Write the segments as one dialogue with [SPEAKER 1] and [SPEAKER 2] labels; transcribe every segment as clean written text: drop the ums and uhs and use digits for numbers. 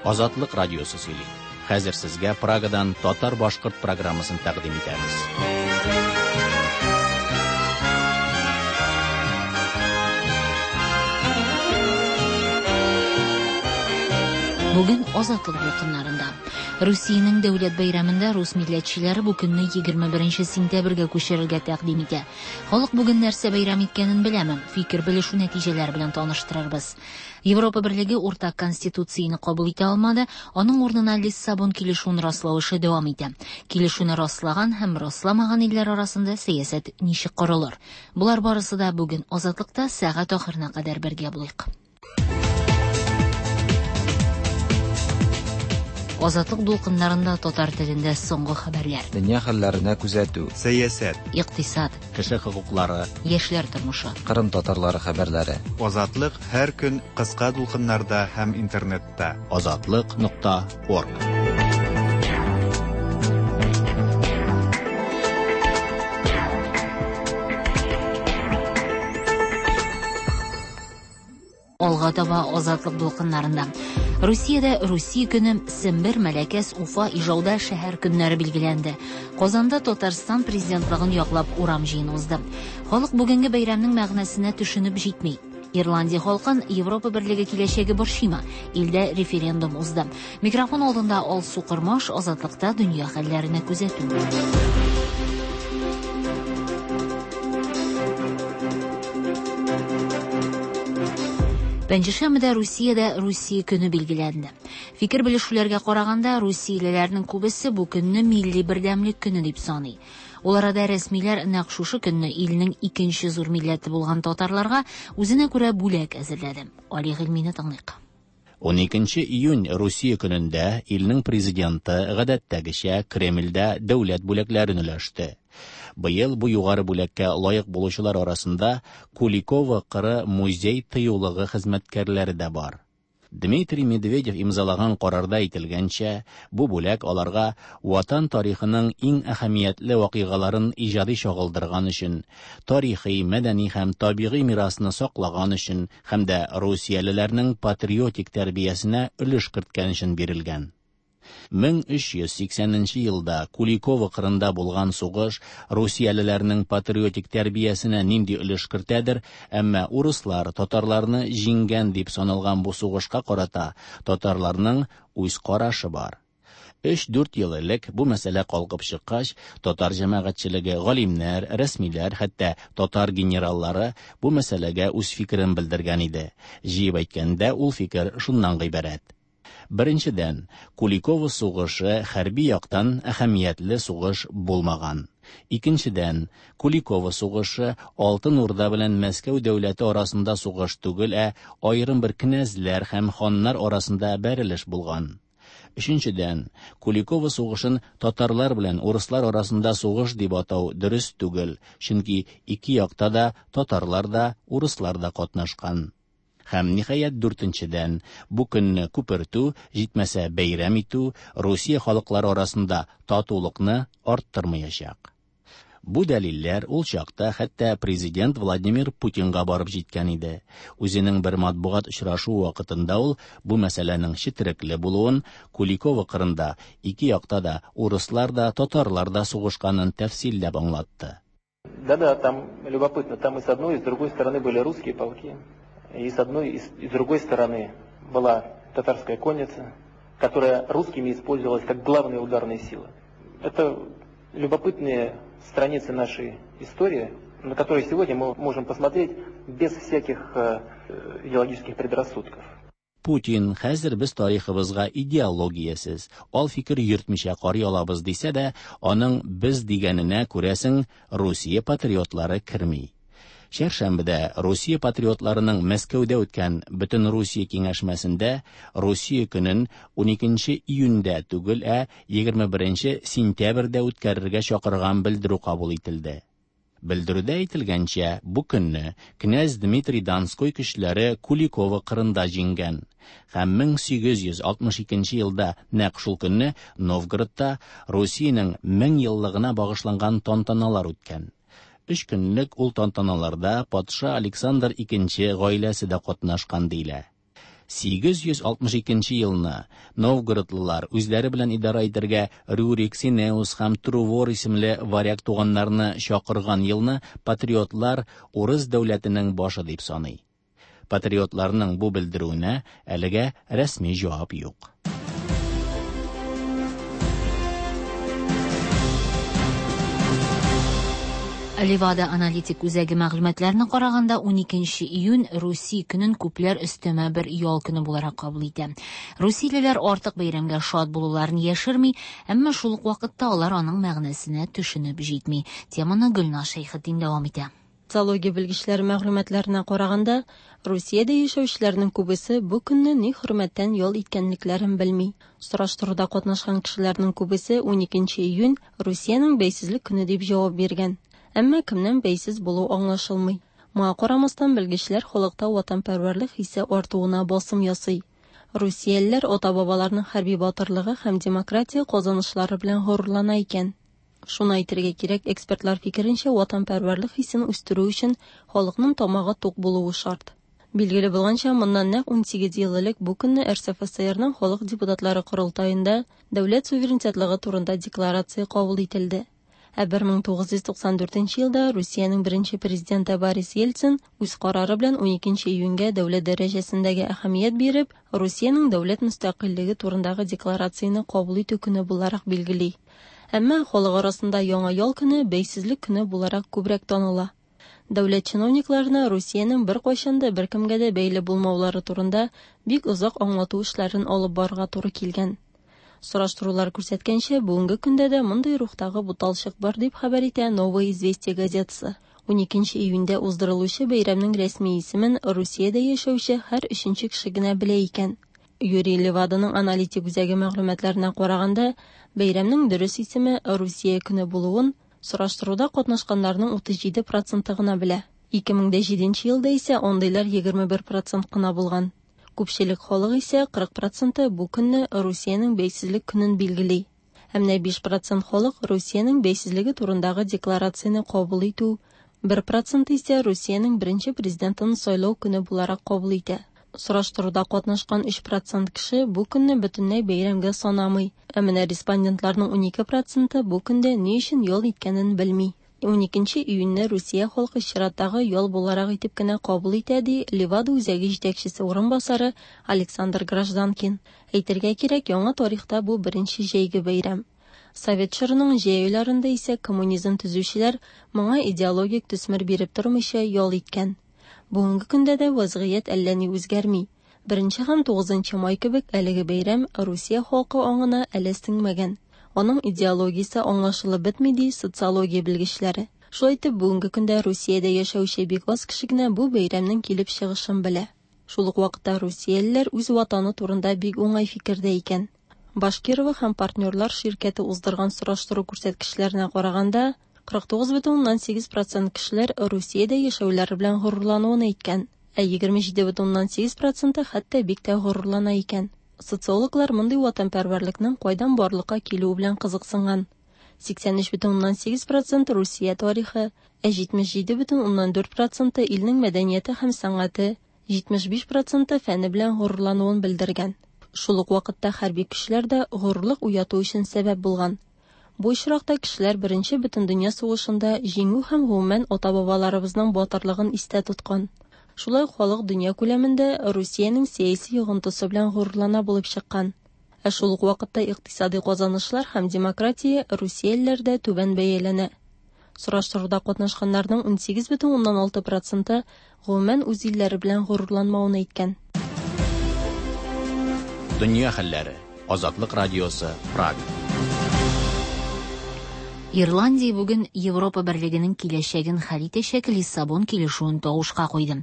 [SPEAKER 1] Азатлык радиосы сөйли. Хәзер сезгә Прагадан татар-башкорт программасын тәкъдим итәбез.
[SPEAKER 2] Бүген Азатлык дулкыннарында. Русиянең дәүләт бәйрәмендә рус милләтчеләре бу көнне 21 сентябрьгә күчерергә тәкъдим итә. Халык бүген нәрсә бәйрәм иткәнен беләме? Фикер белешү нәтиҗәләре белән таныштырырбыз. Европа Берлеге уртак конституцияне кабул итә алмады, аның урынына Лиссабон килешүен раслау эше дәвам итә. Килешүне раслаган һәм расламаган илләр арасында сәясәт ничек корылыр? Болар барысы да бүген Азатлыкта сәгать ахырына кадәр бергә булыйк. Азатлык дулкыннарында татар телендә соңгы хәбәрләр.
[SPEAKER 3] Дөнья хәлләренә күзәтү.
[SPEAKER 4] Сәясәт.
[SPEAKER 2] Икътисад.
[SPEAKER 1] Кеше хокуклары.
[SPEAKER 2] Яшьләр тормышы.
[SPEAKER 3] Кырым татарлары хәбәрләре.
[SPEAKER 4] Азатлык һәр көн кыска дулкыннарда һәм интернетта.
[SPEAKER 1] Азатлык нокта орг.
[SPEAKER 2] Алга таба Азатлык дулкыннарында. Русиядә Русия көне, Сембер, Мәләкәс, Уфа, Ижауда шәһәр көннәре билгеләнде. Казанда Татарстан президентлыгын яклап урам җыены узды. Халык бүгенге бәйрәмнең мәгънәсенә төшенеп җитми. Ирландия халкын Европа берлеге киләчәге борчыймы? Илдә референдум узды. Микрофон алдында Алсу Кормаш, Азатлыкта дөнья хәлләренә күзәтү. Пәнҗешәмбедә Русиядә Русия көне билгеләнде. Фикер белешүләргә караганда, русиялеләрнең күбесе бу көнне милли бердәмлек көне дип саный. Ул арада рәсмиләр нәкъ шушы көнне илнең икенче зур милләте булган татарларга үзенә күрә бүләк әзерләде. Али Гыйльмине тыңлыйк.
[SPEAKER 1] 12 июнь Русия көнендә илнең президенты гадәттәгечә Кремльдә дәүләт бүләкләрен өләште. Быел бу югары бүләккә лаек булучылар арасында Куликово кыры музей тыюлыгы хезмәткәрләре дә бар. Дмитрий Медведев имзалаган карарда әйтелгәнчә, бу бүләк аларга Ватан тарихының иң әһәмиятле вакыйгаларын иҗади чагылдырган өчен, тарихи, мәдәни һәм табигый мирасны саклаган өчен һәм дә русиялеләрнең патриотик тәрбиясенә өлеш керткән өчен бирелгән. 1380 елда Куликово кырында булган сугыш русиялеләрнең патриотик тәрбиясенә нинди өлеш кертәдер, әмма урыслар татарларны җиңгән дип саналган бу сугышка карата татарларның үз карашы бар. 3-4 ел элек бу мәсьәлә калкып чыккач, татар җәмәгатьчелеге, галимнәр, рәсмиләр, хәтта татар генераллары бу мәсьәләгә үз фикерен белдергән иде. Җыеп әйткәндә, ул фикер шуннан гыйбарәт. Беренчедән, Куликово сугышы хәрби яктан әһәмиятле сугыш булмаган. Икенчедән, Куликово сугышы Алтын Урда белән Мәскәү дәүләте арасында сугыш түгел, ә аерым бер князьләр һәм ханнар арасында бәрелеш булган. Өченчедән, Куликово сугышын татарлар белән урыслар арасында сугыш дип атау дөрес түгел, чөнки ике якта да татарлар да, урыслар да катнашкан. Һәм ниһаять дүртенчедән, бу көнне күпертү, җитмәсә бәйрәм итү Русия халыклары арасында татулыкны арттырмаячак. Бу дәлилләр ул чакта хәтта президент Владимир Путинга барып җиткән иде. Үзенең бер матбугат очрашуы вакытында ул бу мәсьәләнең четерекле булуын, Куликово кырында ике якта да урыслар да, татарлар да сугышканын тәфсилләп аңлатты.
[SPEAKER 5] Да-да, там любопытно, там и с одной, и с другой стороны были русские полки. И с одной, и с другой стороны была татарская конница, которая русскими использовалась как главная ударная сила. Это любопытные страницы нашей истории, на которые сегодня мы можем посмотреть без всяких идеологических предрассудков.
[SPEAKER 1] Путин хәзер без тарихыбызга идеологиясез, ал фикер йөртмичә карый алабыз дисә дә, аның без дигәненә күрәсең Русия патриотлары керми. Чәршәмбедә Русия патриотларының Мәскәүдә үткән Бөтен Русия киңәшмәсендә Русия көнен 12 июньдә түгел, ә 21 сентябрьдә үткәрергә чакырган белдерү кабул ителде. Белдерүдә әйтелгәнчә, бу көнне князь Дмитрий Донской көчләре Куликово кырында җиңгән. Һәм 1862 елда нәкъ шул көнне Новгородта Русиянең 1000 еллыгына багышланган тантаналар үткән. Өч көнлек ул тантаналарда патша Александр II гаиләсе дә катнашкан диелә. 862 елны новгородлылар үзләре белән идарә итәргә Рюрик, Синеус һәм Трувор исемле варяг туганнарны чакырган елны патриотлар урыс дәүләтенең башы дип саный. Патриотларның бу белдерүенә әлегә рәсми җавап юк.
[SPEAKER 2] Левада аналитик үзәге мәгълүматларына караганда, 12 июнь Руси көнен күпләр өстәмә бер ял көне буларак кабул итә. Русиялеләр артык бәйрәмгә шат булуларын яшерми, әмма шул ук вакытта алар аның мәгънәсенә төшенеп җитми. Теманы Гөлназ Шәйхетдин дәвам итә.
[SPEAKER 6] Социология белгечләре мәгълүматларына караганда, Русиядә яшәүчеләрнең күбесе бу көнне ни хөрмәттән ял иткәнлекләрен белми. Сораштыруда катнашкан кешеләрнең күбесе 12 июнь Русиянең бәйсезлек көне дип җавап биргән. Әмма кемнән бәйсез булу аңлашылмый. Моңа карамастан, белгечләр халыкта ватанпәрвәрлек хисе артуына басым ясый. Русиялеләр ата-бабаларының хәрби батырлыгы һәм демократия казанышлары белән горурлана икән. Шуны әйтергә кирәк, экспертлар фикеренчә, ватанпәрвәрлек хисен үстерү өчен халыкның тамагы тук булуы шарт. Билгеле булганча, моннан нәкъ 18 ел элек бу көнне РСФСРның халык депутатлары корылтаенда дәүләт суверенитетлыгы турында декларация кабул ителде. Ә 1994 елда Русиянең беренче президенты Борис Ельцин үз карары белән 12 июньгә дәүләт дәрәҗәсендәге әһәмият биреп, Русиянең дәүләт мөстәкыйльлеге турындагы декларацияне кабул итү көне буларак билгели. Әмма халык арасында яңа ял көне бәйсезлек көне буларак күбрәк таныла. Дәүләт чиновникларына Русиянең беркайчан да беркемгә дә бәйле булмаулары турында бик озак аңлату эшләрен алып барырга туры килгән. Сораштырулар күрсәткәнчә, бүгенге көндә дә мондый рухтагы буталчык бар дип хәбәр итә Новые известия газетасы. 12 июньдә уздырылучы бәйрәмнең рәсми исемен Русиядә яшәүче һәр өченче кеше генә белә икән. Юрий Леваданың аналитик үзәге мәгълүматларына караганда, бәйрәмнең дөрес исеме Русия көне булуын сораштыруда катнашканнарның 37 проценты гына белә. 2007 елда исә андыйлар 21% кына булган. Күпчелек халык исә 40 проценты бу көнне Русиянең бәйсезлек көнен билгели. Ә менә 5% халык Русиянең бәйсезлеге турындагы декларацияне кабул итү, 1% исә Русиянең беренче президентын сайлау көне буларак кабул итә. Сораштыруда катнашкан 3% кеше бу көнне бөтенләй бәйрәмгә санамый. Ә менә респондентларның 12% бу көндә ни өчен ял иткәнен белми. 12 июньне Русия халкы чираттагы ял буларак итеп кенә кабул итә, ди Левада үзәге җитәкчесе урынбасары Александр Гражданкин. Әйтергә кирәк, яңа тарихта бу беренче җәйге бәйрәм. Совет чорының җәй айларында исә коммунизм төзүчеләр моңа идеологик төсмер биреп тормыйча ял иткән. Бүгенге көндә дә вазгыять әллә ни үзгәрми. 1 һәм 9 май кебек әлеге бәйрәм Русия халкы аңына әле сеңмәгән. Аның идеологиясе аңлашылып бетми, ди социология белгечләре. Шулай итеп, бүгенге көндә Русиядә яшәүче бик аз кеше генә бу бәйрәмнең килеп чыгышын белә. Шул ук вакытта русиялеләр үз ватаны турында бик уңай фикердә икән. Башкирова һәм партнерлар ширкәте уздырган сораштыру күрсәткечләренә караганда, 49,8% кешеләр Русиядә яшәүләре белән горурлануын әйткән, ә 27,8% хәтта бик тә горурлана икән. Социологлар мондый ватанпәрвәрлекнең кайдан барлыкка килүе белән кызыксынган. 83,8% Русия тарихы, ә 77,4% илнең мәдәнияте һәм сәнгате, 75% фәне белән горурлануын белдергән. Шул ук вакытта хәрби көчләр дә горурлык уяту өчен сәбәп булган. Бу очракта кешеләр Беренче бөтендөнья сугышында җиңү һәм гомумән ата-бабаларыбызның батырлыгын истә тоткан. Шулай ук халык дөнья күләмендә Русиянең сәяси йогынтысы белән горурлана булып чыккан. Ә шул ук вакытта икътисади казанышлар һәм демократия русиялеләрдә түбән бәяләнә. Сораштыруда катнашканнарның 18,6% гомумән үз илләре белән горурланмавын әйткән.
[SPEAKER 1] Дөнья хәлләре. Азатлык радиосы, Прага.
[SPEAKER 2] Ирландия бүген Европа берлегенең киләчәген хәл итәчәк Лиссабон килешүен тавышка куйды.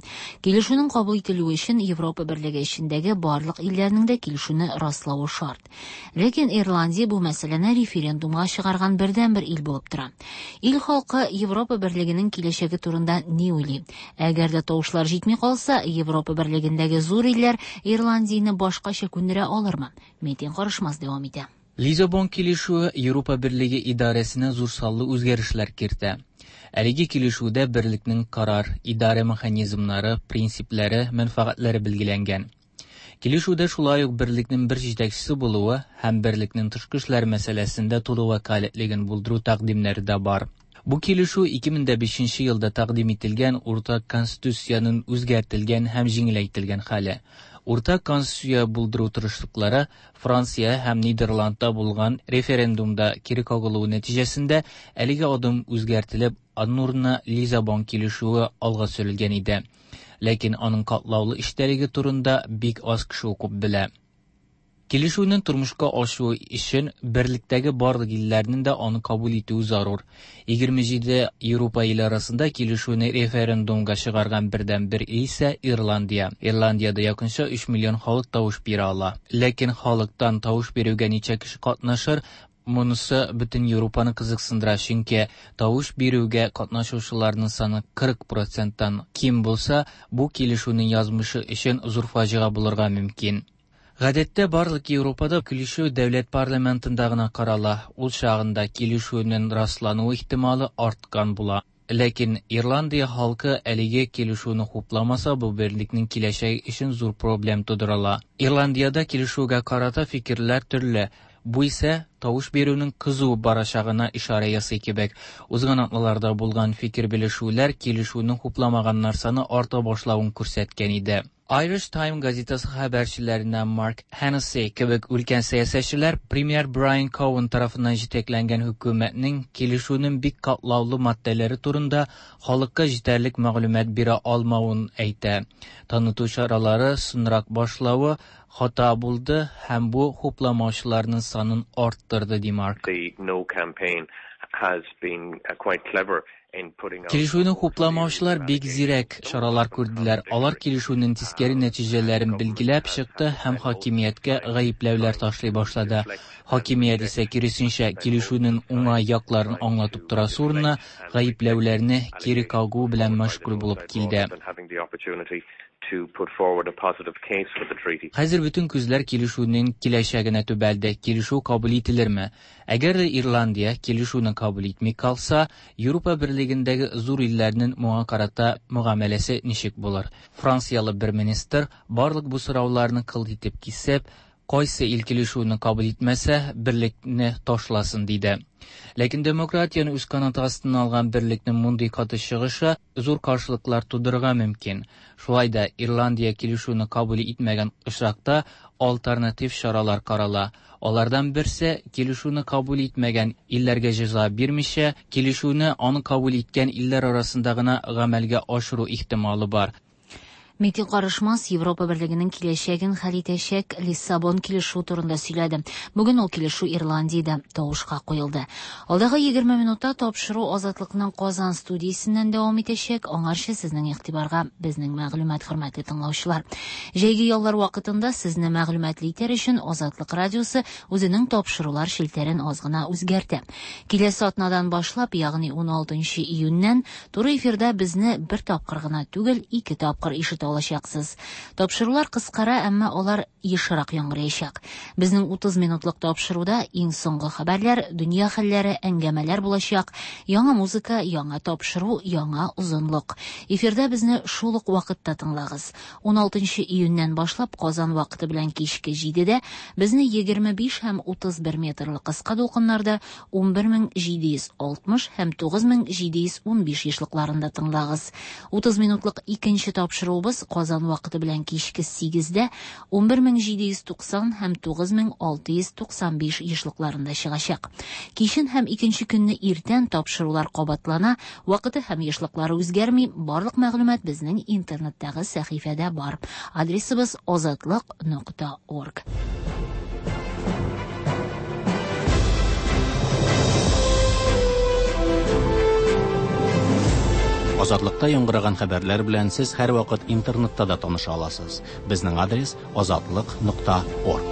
[SPEAKER 2] Килешүнең кабул ителүе өчен Европа берлеге эчендәге барлык илләрнең дә килешүне раславы шарт. Ләкин Ирландия бу мәсьәләне референдумга чыгарган бердәнбер ил булып тора. Ил халкы Европа берлегенең киләчәге турында ни уйлый? Әгәр дә тавышлар җитми калса, Европа берлегендәге зур илләр Ирландияне башкача күндерә алырмы? Метин Карышмас дәвам итә.
[SPEAKER 7] Лизабон килешүе Европа берлеге идарәсенә зур саллы үзгәрешләр кертә. Әлеге килешүдә берлекнең карар, идарә механизмнары, принциплары, мәнфәгатьләре билгеләнгән. Килешүдә шулай ук берлекнең бер җитәкчесе булуы һәм берлекнең тышкы эшләр мәсьәләсендә тулы вәкаләтлеген булдыру тәкъдимнәре дә бар. Бу килешү 2005 елда тәкъдим ителгән уртак конституциянең үзгәртелгән һәм җиңеләйтелгән хәле. Уртак конституция булдыру тырышлыклары Франция һәм Нидерландта булган референдумда кире кагылуы нәтиҗәсендә әлеге адым үзгәртелеп, аның урынына Лизабон килешүе алга сөрелгән иде. Ләкин аның катлаулы эчтәлеге турында бик аз кеше укып белә. Килешүнең тормышка ашуы өчен берлектәге барлык илләрнең дә аны кабул итүе зарур. 27 Европа иле арасында килешүне референдумга чыгарган бердәнбер ил исә Ирландия. Ирландиядә якынча 3 миллион халык тавыш бирә ала. Ләкин халыктан тавыш бирүгә ничә кеше катнашыр, монысы бөтен Европаны кызыксындыра, чөнки тавыш бирүгә катнашучыларның саны 40 проценттан ким булса, бу килешүнең язмышы өчен зур фаҗига булырга мөмкин. Гадәттә барлык Европада килешү дәүләт парламентында гына карала. Ул чагында килешүнең раслануы ихтималы арткан була. Ләкин Ирландия халкы әлеге килешүне хупламаса, бу берлекнең киләчәге өчен зур проблем тудырыла. Ирландиядә килешүгә карата фикерләр төрле. Бу исә тавыш бирүнең кызу барачагына ишарә ясый кебек. Узган атналарда булган фикер белешүләр килешүне хупламаганнар саны арта башлавын күрсәткән иде. Irish Time газетасы хәбәрчеләреннән Марк Хеннесси кебек өлкән сәясәтчеләр премьер Брайан Коуэн тарафыннан җитәкләнгән хөкүмәтнең килешүнең бик катлаулы маддәләре турында халыкка җитәрлек мәгълүмат бирә алмавын әйтә. Таныту чаралары соңрак башлавы хата булды һәм бу хупламаучыларның санын арттырды, ди Марк.
[SPEAKER 8] The No campaign has been quite clever.
[SPEAKER 7] Килешүне хупламаучылар бик зирәк чаралар күрделәр. Алар килешүнең тискәре нәтиҗәләрен билгеләп чыкты һәм хакимияткә гаепләүләр ташлый башлады. Хакимият исә киресенчә килешүнең уңай якларын аңлатып торасы урынына гаепләүләрне кире кагу белән мәшгуль булып килде. Хәзер бөтен күзләр килешүнең киләчәгенә төбәлде. Килешү кабул ителерме? Әгәр дә Ирландия килешүне кабул итми калса, Европа берлегендәге зур илләрнең моңа карата мөгамәләсе ничек булыр? Франциялы бер министр барлык бу сорауларны кылт итеп кисеп, кайсы ил килешүне кабул итмәсә, берлекне ташласын, диде. Ләкин демократияне үз канаты астына алган берлекнең мондый каты чыгышы зур каршылыклар тудырырга мөмкин. Шулай да Ирландия килешүне кабул итмәгән очракта альтернатив чаралар карала. Алардан берсе килешүне кабул итмәгән илләргә җәза бирмичә, килешүне аны кабул иткән илләр арасында гына гамәлгә ашыру ихтималы бар.
[SPEAKER 2] Митинг карышмас Европа берлегенең киләчәген хәл итәчәк Лиссабон килешүе турында сөйләде. Бүген ул килешү Ирландиядә тавышка куелды. Алдагы 20 минутта тапшыру Азатлыкның Казан студиясеннән дәвам итәчәк. Аңарчы сезнең игътибарга безнең мәгълүмат, хөрмәтле тыңлаучылар. Җәйге яллар вакытында сезне мәгълүматлы итәр өчен Азатлык радиосы үзенең тапшырулар челтәрен аз гына үзгәртә. Киләсе атнадан башлап, ягъни 16 июньнән туры эфирда безне бер тапкыр гына түгел, ике тапкыр ишетә алачаксыз. Тапшырулар кыскара, әмма алар ешрак яңгыраячак. Безнең 30 минутлык тапшыруда иң соңгы хәбәрләр, дөнья хәлләре, әңгәмәләр булачак, яңа музыка, яңа тапшыру, яңа озынлык. Эфирда безне шул ук вакытта тыңлагыз. 16 июньнән башлап Казан вакыты белән кичке 7-дә безне 25 һәм 31 метрлы кыска дулкыннарда 11760 һәм 9715 ешлыкларында тыңлагыз. 30 минутлык икенче тапшыруыбыз Казан вакыты белән кичке 8-дә 11790 һәм 9695 ешлыкларында чыгачак. Кичен һәм икенче көнне иртән тапшырулар кабатлана, вакыты һәм ешлыклары үзгәрми. Барлык мәгълүмат безнең интернеттагы сәхифәдә бар. Адресыбыз azatliq.org.
[SPEAKER 1] Азатлыкта яңгыраган хәбәрләр белән сез һәрвакыт интернетта да таныша аласыз. Безнең адрес azatliq.org.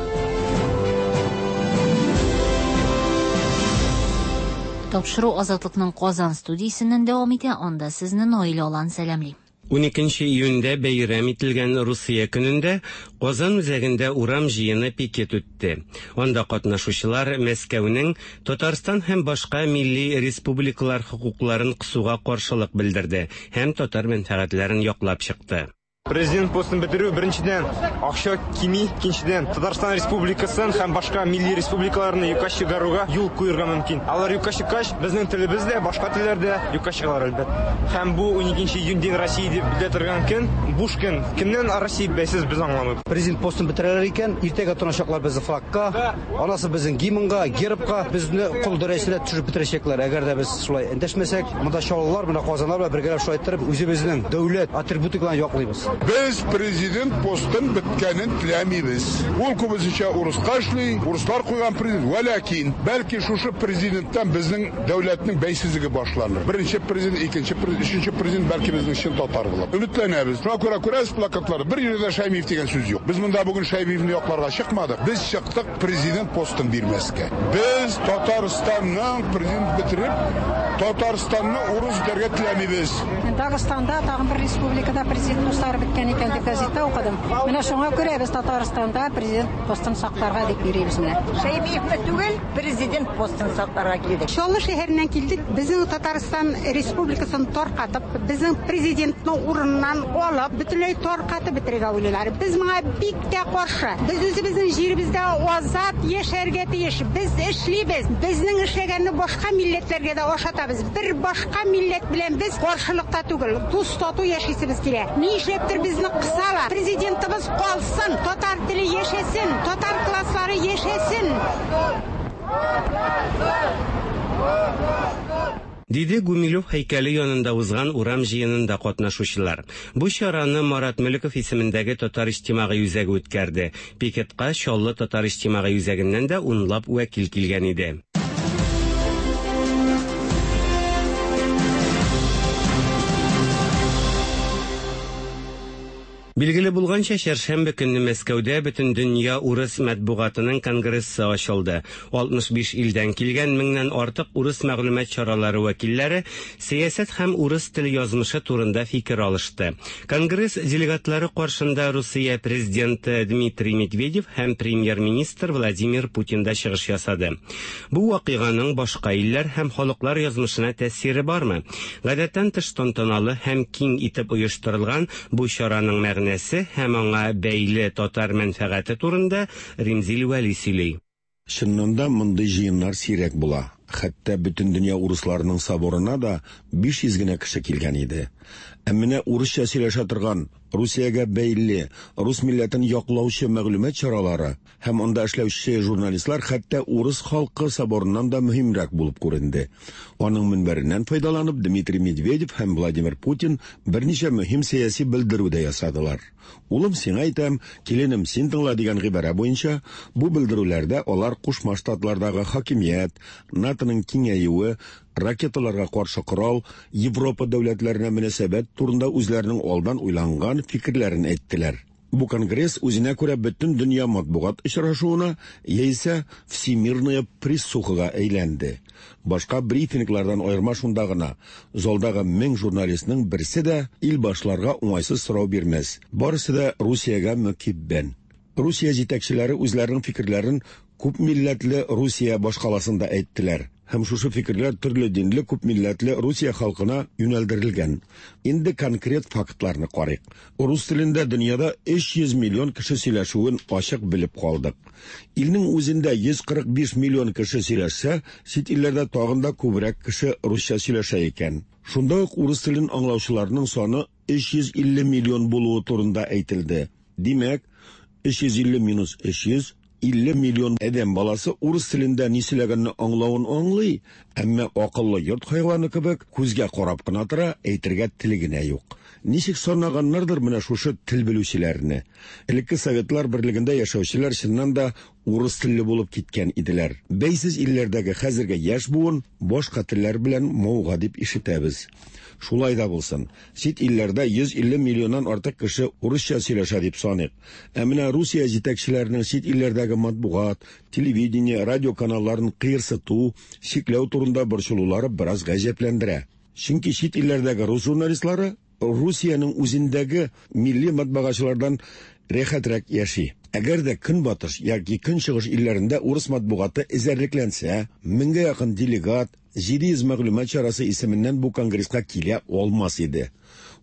[SPEAKER 2] Тапшыру Азатлыкның Казан студиясеннән дәвам итә. Анда сезне Наилә Алан сәламли.
[SPEAKER 9] 12 июньдә бәйрәм ителгән Русия көнендә Казан үзәгендә урам җыены пикет үтте. Анда катнашучылар Мәскәүнең Татарстан һәм башка милли республикалар хокукларын кысуга каршылык белдерде һәм татар мәнфәгатьләрен яклап чыкты.
[SPEAKER 10] Президент постын бетерү, беренчедән, акча кими, икенчедән, Татарстан Республикасын һәм башка милли республикаларны юкка чыгаруга юл куерга мөмкин. Алар юкка чыккач, безнең телебез дә, башка телләр дә юкка чыгалар, әлбәттә. Һәм бу 12 июнь День России дип белә торган көн, буш көн. Кемнән Россия бәйсез, без аңламыйбыз.
[SPEAKER 11] Президент постын бетерәләр икән, иртәгә тотыначаклар безне флагка, анасы безнең гимнга, гербка, безне кол дәрәҗәсенә төшереп бетерәчәкләр. Әгәр дә без шулай эндәшмәсәк, монда чаллылар, менә казаннар белән бергәләп шулай иттереп, үзебезнең дәүләт атрибутикаларын яклыйбыз.
[SPEAKER 12] Без президент постын беткәнен теләмибез. Ул күбесенчә урыска эшли, урыслар куйган президент. Вәләкин, бәлки шушы президенттан безнең дәүләтнең бәйсезлеге башланыр. Беренче президент, икенче президент, өченче президент бәлки безнең чын татар булыр. Өметләнәбез. Шуңа күрә күрәсез плакатларда, бер җирдә дә Шәймиев дигән сүз юк. Без монда бүген Шәймиевне якларга чыкмадык. Без чыктык президент постын бирмәскә. Без Татарстанның президент бетереп, Татарстанны урыс итәргә теләмибез.
[SPEAKER 13] Дагыстанда тагын бер республикада президент постлары беткән икән дип газетта укыдым. Менә шуңа күрә без Татарстанда президент постын сакларга дип йөрибез менә.
[SPEAKER 14] Шәймиевне түгел, президент постын сакларга килдек.
[SPEAKER 15] Чаллы шәһәреннән килдек. Безнең Татарстан Республикасын таркатып, безнең президентны урыныннан алып, бөтенләй таркатып бетерергә уйлыйлар. Без моңа бик тә каршы. Без үзебезнең җиребездә азат яшәргә тиеш. Без эшлибез. Безнең эшләгәнне башка милләтләргә дә ашатабыз. Бер башка милләт белән без каршылыкта түгел. Дус тату яшисебез килә. Ни эшләптер безне кысалар. Президентыбыз калсын, татар теле яшәсен, татар класслары яшәсен.
[SPEAKER 9] Диде Гумилев һәйкәле янында узган урам җыенында катнашучылар. Бу чараны Марат Мөлеков исемендәге Татар иҗтимагый үзәге үткәрде. Пикетка Чаллы татар иҗтимагый үзәгеннән дә унлап вәкил килгән иде. Билгеле булганча, чәршәмбе көнне Мәскәүдә Бөтендөнья урыс матбугатының конгрессы ачылды. 65 илдән килгән меңнән артык урыс мәгълүмат чаралары вәкилләре сәясәт һәм урыс теле язмышы турында фикер алышты. Конгресс делегатлары каршында Русия президенты Дмитрий Медведев һәм премьер-министр Владимир Путин да чыгыш ясады. Бу вакыйганың башка илләр һәм халыклар язмышына тәэсире бармы? Гадәттән тыш тантаналы һәм киң итеп оештырылган бу чараның мәгънәсе һәм аңа бәйле татар мәнфәгате турында Римзил Вәли сөйли.
[SPEAKER 16] Чыннан да мондый җыеннар сирәк була. Хәтта Бөтендөнья урысларының соборына да 500 генә кеше килгән иде. Ә менә урысча сөйләшә торган, Русиягә бәйле, рус милләтен яклаучы мәгълүмат чаралары һәм анда эшләүче журналистлар хәтта урыс халкы соборыннан да мөһимрәк булып күренде. Аның мөнбәреннән файдаланып, Дмитрий Медведев һәм Владимир Путин берничә мөһим сәяси белдерү дә ясадылар. Улым, сиңа әйтәм, киленем, син тыңла дигән гыйбарә буенча, бу белдерүләрдә алар Кушма Штатлардагы хакимият, НАТОның киңәюе, ракеталарга каршы корал, Европа дәүләтләренә мөнәсәбәт турында үзләренең алдан уйланган фикерләрен әйттеләр. Бу конгресс үзенә күрә бөтен дөнья матбугат очрашуына яисә Всемирная прессухага әйләнде. Башка брифинглардан аерма шунда гына: залдагы 1000 журналистның берсе дә илбашларга уңайсыз сорау бирмәс. Барысы да Русиягә мөкиббән. Русия җитәкчеләре үзләренең фикерләрен күп милләтле Русия башкаласында әйттеләр. Һәм шушы фикерләр төрле динле күп милләтле Русия халкына юнәлдерелгән. Инде конкрет фактларны карыйк. Рус телендә дөньяда 300 миллион кеше сөйләшүен ачык белеп калдык. Илнең үзендә 145 миллион кеше сөйләшсә, чит илләрдә тагын да күбрәк кеше русча сөйләшә икән. Шунда ук урыс телен аңлаучыларның саны 350 миллион булуы турында әйтелде. Димәк, 350 минус 300, 50 миллион адәм баласы урыс телендә ни сөйләгәнне аңлавын аңлый, әмма акыллы йорт хайваны кебек күзгә карап кына тора, әйтергә теле генә юк. Ничек санаганнардыр менә шушы тел белүчеләрне. Элекке Советлар берлегендә яшәүчеләр чыннан да урыс телле булып киткән иделәр. Бәйсез илләрдәге хәзерге яшь буын башка телләр белән мавыга дип ишетәбез. Шулай да булсын, чит илләрдә 150 миллионнан артык кеше урысча сөйләшә дип саныйк. Ә менә Русия җитәкчеләренең чит илләрдәге матбугат, телевидение, радио каналларын кыерсыту, чикләү турында борчылулары бераз гаҗәпләндерә. Чөнки чит илләрдәге рус журналистлары Русиянең үзендәге милли матбагачылардан рәхәтрәк яши. Әгәр дә көнбатыш яки көнчыгыш илләрендә урыс матбугаты эзәрлекләнсә, меңгә якын делегат, 700 мәгълүмат чарасы исеменнән бу конгресска килә алмас иде.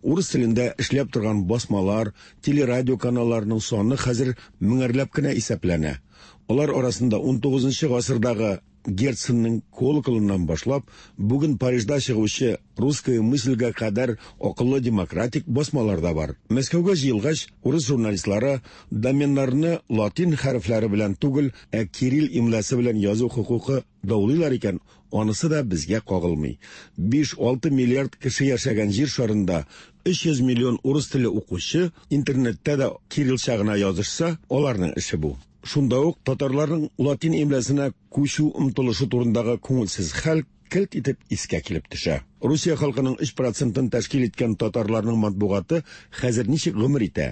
[SPEAKER 16] Урыс телендә эшләп торган басмалар, телерадио каналларының саны хәзер меңәрләп кенә исәпләнә. Алар арасында 19 гасырдагы Герценның колоколыннан башлап, бүген Парижда чыгучы «Русская мысльгә кадәр акыллы демократик басмалар да бар. Мәскәүгә җыелгач, урыс журналистлары доменнарны латин хәрефләре белән түгел, ә кирилл имласы белән язу хокукы даулыйлар икән, анысы да безгә кагылмый. 5-6 миллиард кеше яшәгән җир шарында 300 миллион урыс теле укучы интернетта да кириллча гына язышса, аларның эше бу. Шунда ук татарларның латин имласына күчү омтылышы турындагы күңелсез хәл келт итеп искә килеп төшә. Русия халкының 3 процентын тәшкил иткән татарларның матбугаты хәзер ничек гомер итә?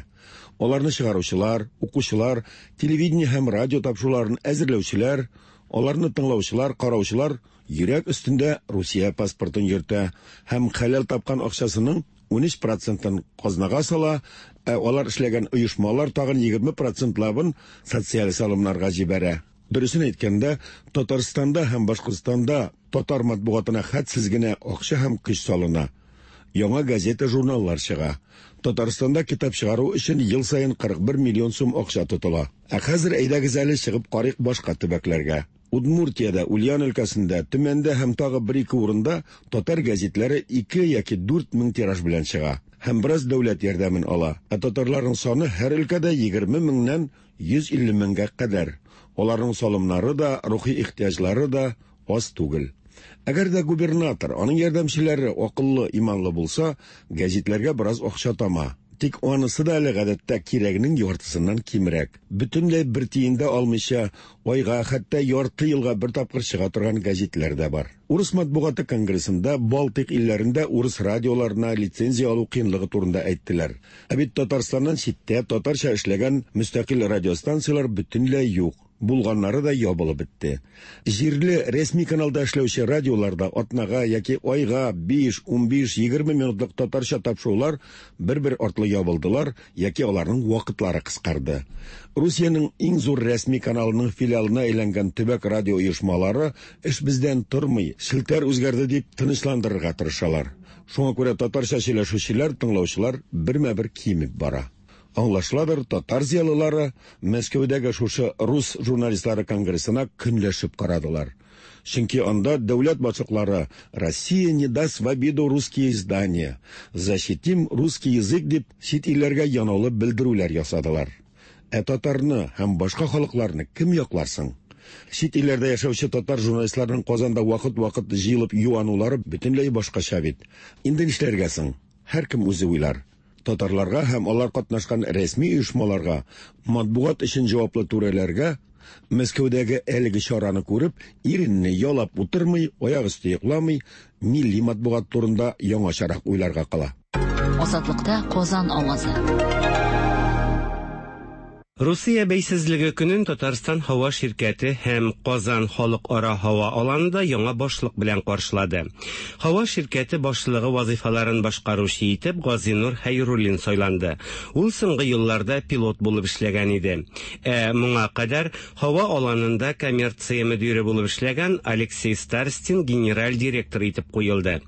[SPEAKER 16] Аларны чыгаручылар, укучылар, телевидение һәм радио тапшыруларын әзерләүчеләр, аларны тыңлаучылар, караучылар йөрәк өстендә Русия паспортын йөртә һәм хәләл тапкан акчасының 13 процентын казнага сала, ә алар эшләгән оешмалар тагын 20 процентлабын социаль салымнарга җибәрә. Дөресен әйткәндә, Татарстанда һәм Башкортстанда татар матбугатына хәтсез генә акча һәм көч салына. Яңа газета-журналлар чыга. Татарстанда китап чыгару өчен ел саен 41 миллион сум акча тотыла. Ә хәзер әйдәгез әле чыгып карыйк башка төбәкләргә. Удмуртиядә, Ульян өлкәсендә, Төмәндә һәм тагы бер-ике урында татар гәзитләре 2 яки 4 мең тираж белән чыга һәм бераз дәүләт ярдәмен ала. Ә татарларның саны һәр өлкәдә 20 меңнән 150 меңгә кадәр. Аларның салымнары да, рухи ихтыяҗлары да аз түгел. Әгәр дә губернатор, аның ярдәмчеләре акыллы, иманлы булса, гәзитләргә бераз акча тама. Тик анысы да әле гадәттә кирәгенең яртысыннан кимрәк. Бөтенләй бер тиен дә алмыйча, айга, хәтта ярты елга бер тапкыр чыга торган гәзитләр дә бар. Урыс матбугаты конгрессында Балтыйк илләрендә урыс радиоларына лицензия алу кыенлыгы турында әйттеләр. Ә бит Татарстаннан читтә татарча эшләгән мөстәкыйль радиостанцияләр бөтенләй юк. Булганнары да ябылып бетте. Җирле рәсми каналда эшләүче радиоларда атнага яки айга 5, 15, 20 минутлык татарча тапшырулар бер-бер артлы ябылдылар яки аларның вакытлары кыскарды. Русиянең иң зур рәсми каналының филиалына әйләнгән төбәк радио оешмалары эш бездән тормый, челтәр үзгәрде дип тынычландырырга тырышалар. Шуңа күрә татарча сөйләшүчеләр, тыңлаучылар бермә-бер кимеп бара. Аңлашыладыр, татар зыялылары Мәскәүдәге шушы рус журналистлары конгрессына көнләшеп карадылар. Чөнки анда дәүләт башлыклары «Россия не даст в обиду русские издания», «Защитим русский язык» дип чит илләргә янаулы белдерүләр ясадылар. Ә татарны һәм башка халыкларны кем яклар соң? Чит илләрдә яшәүче татар журналистларының Казанда вакыт-вакыт җыелып юанулары бөтенләй башкача бит. Инде нишләргә соң? Һәркем үзе уйлар. Татарларга һәм алар катнашкан рәсми оешмаларга, матбугат өчен җаваплы түрәләргә Мәскәүдәге әлеге чараны күреп, иренне ялап утырмый, аяк өсте йокламый, милли матбугат турында яңачарак уйларга кала.
[SPEAKER 2] Азатлыкта Казан авазы.
[SPEAKER 9] Русия бәйсезлеге көнен Татарстан һава ширкәте һәм Казан халыкара һава аланында яңа башлык белән каршылады. Һава ширкәте башлыгы вазыйфаларын башкаручы итеп Газинур Хәйруллин сайланды. Ул соңгы елларда пилот булып эшләгән иде. Ә моңа кадәр һава аланында коммерция мөдире булып эшләгән Алексей Старостин генераль директор итеп куелды.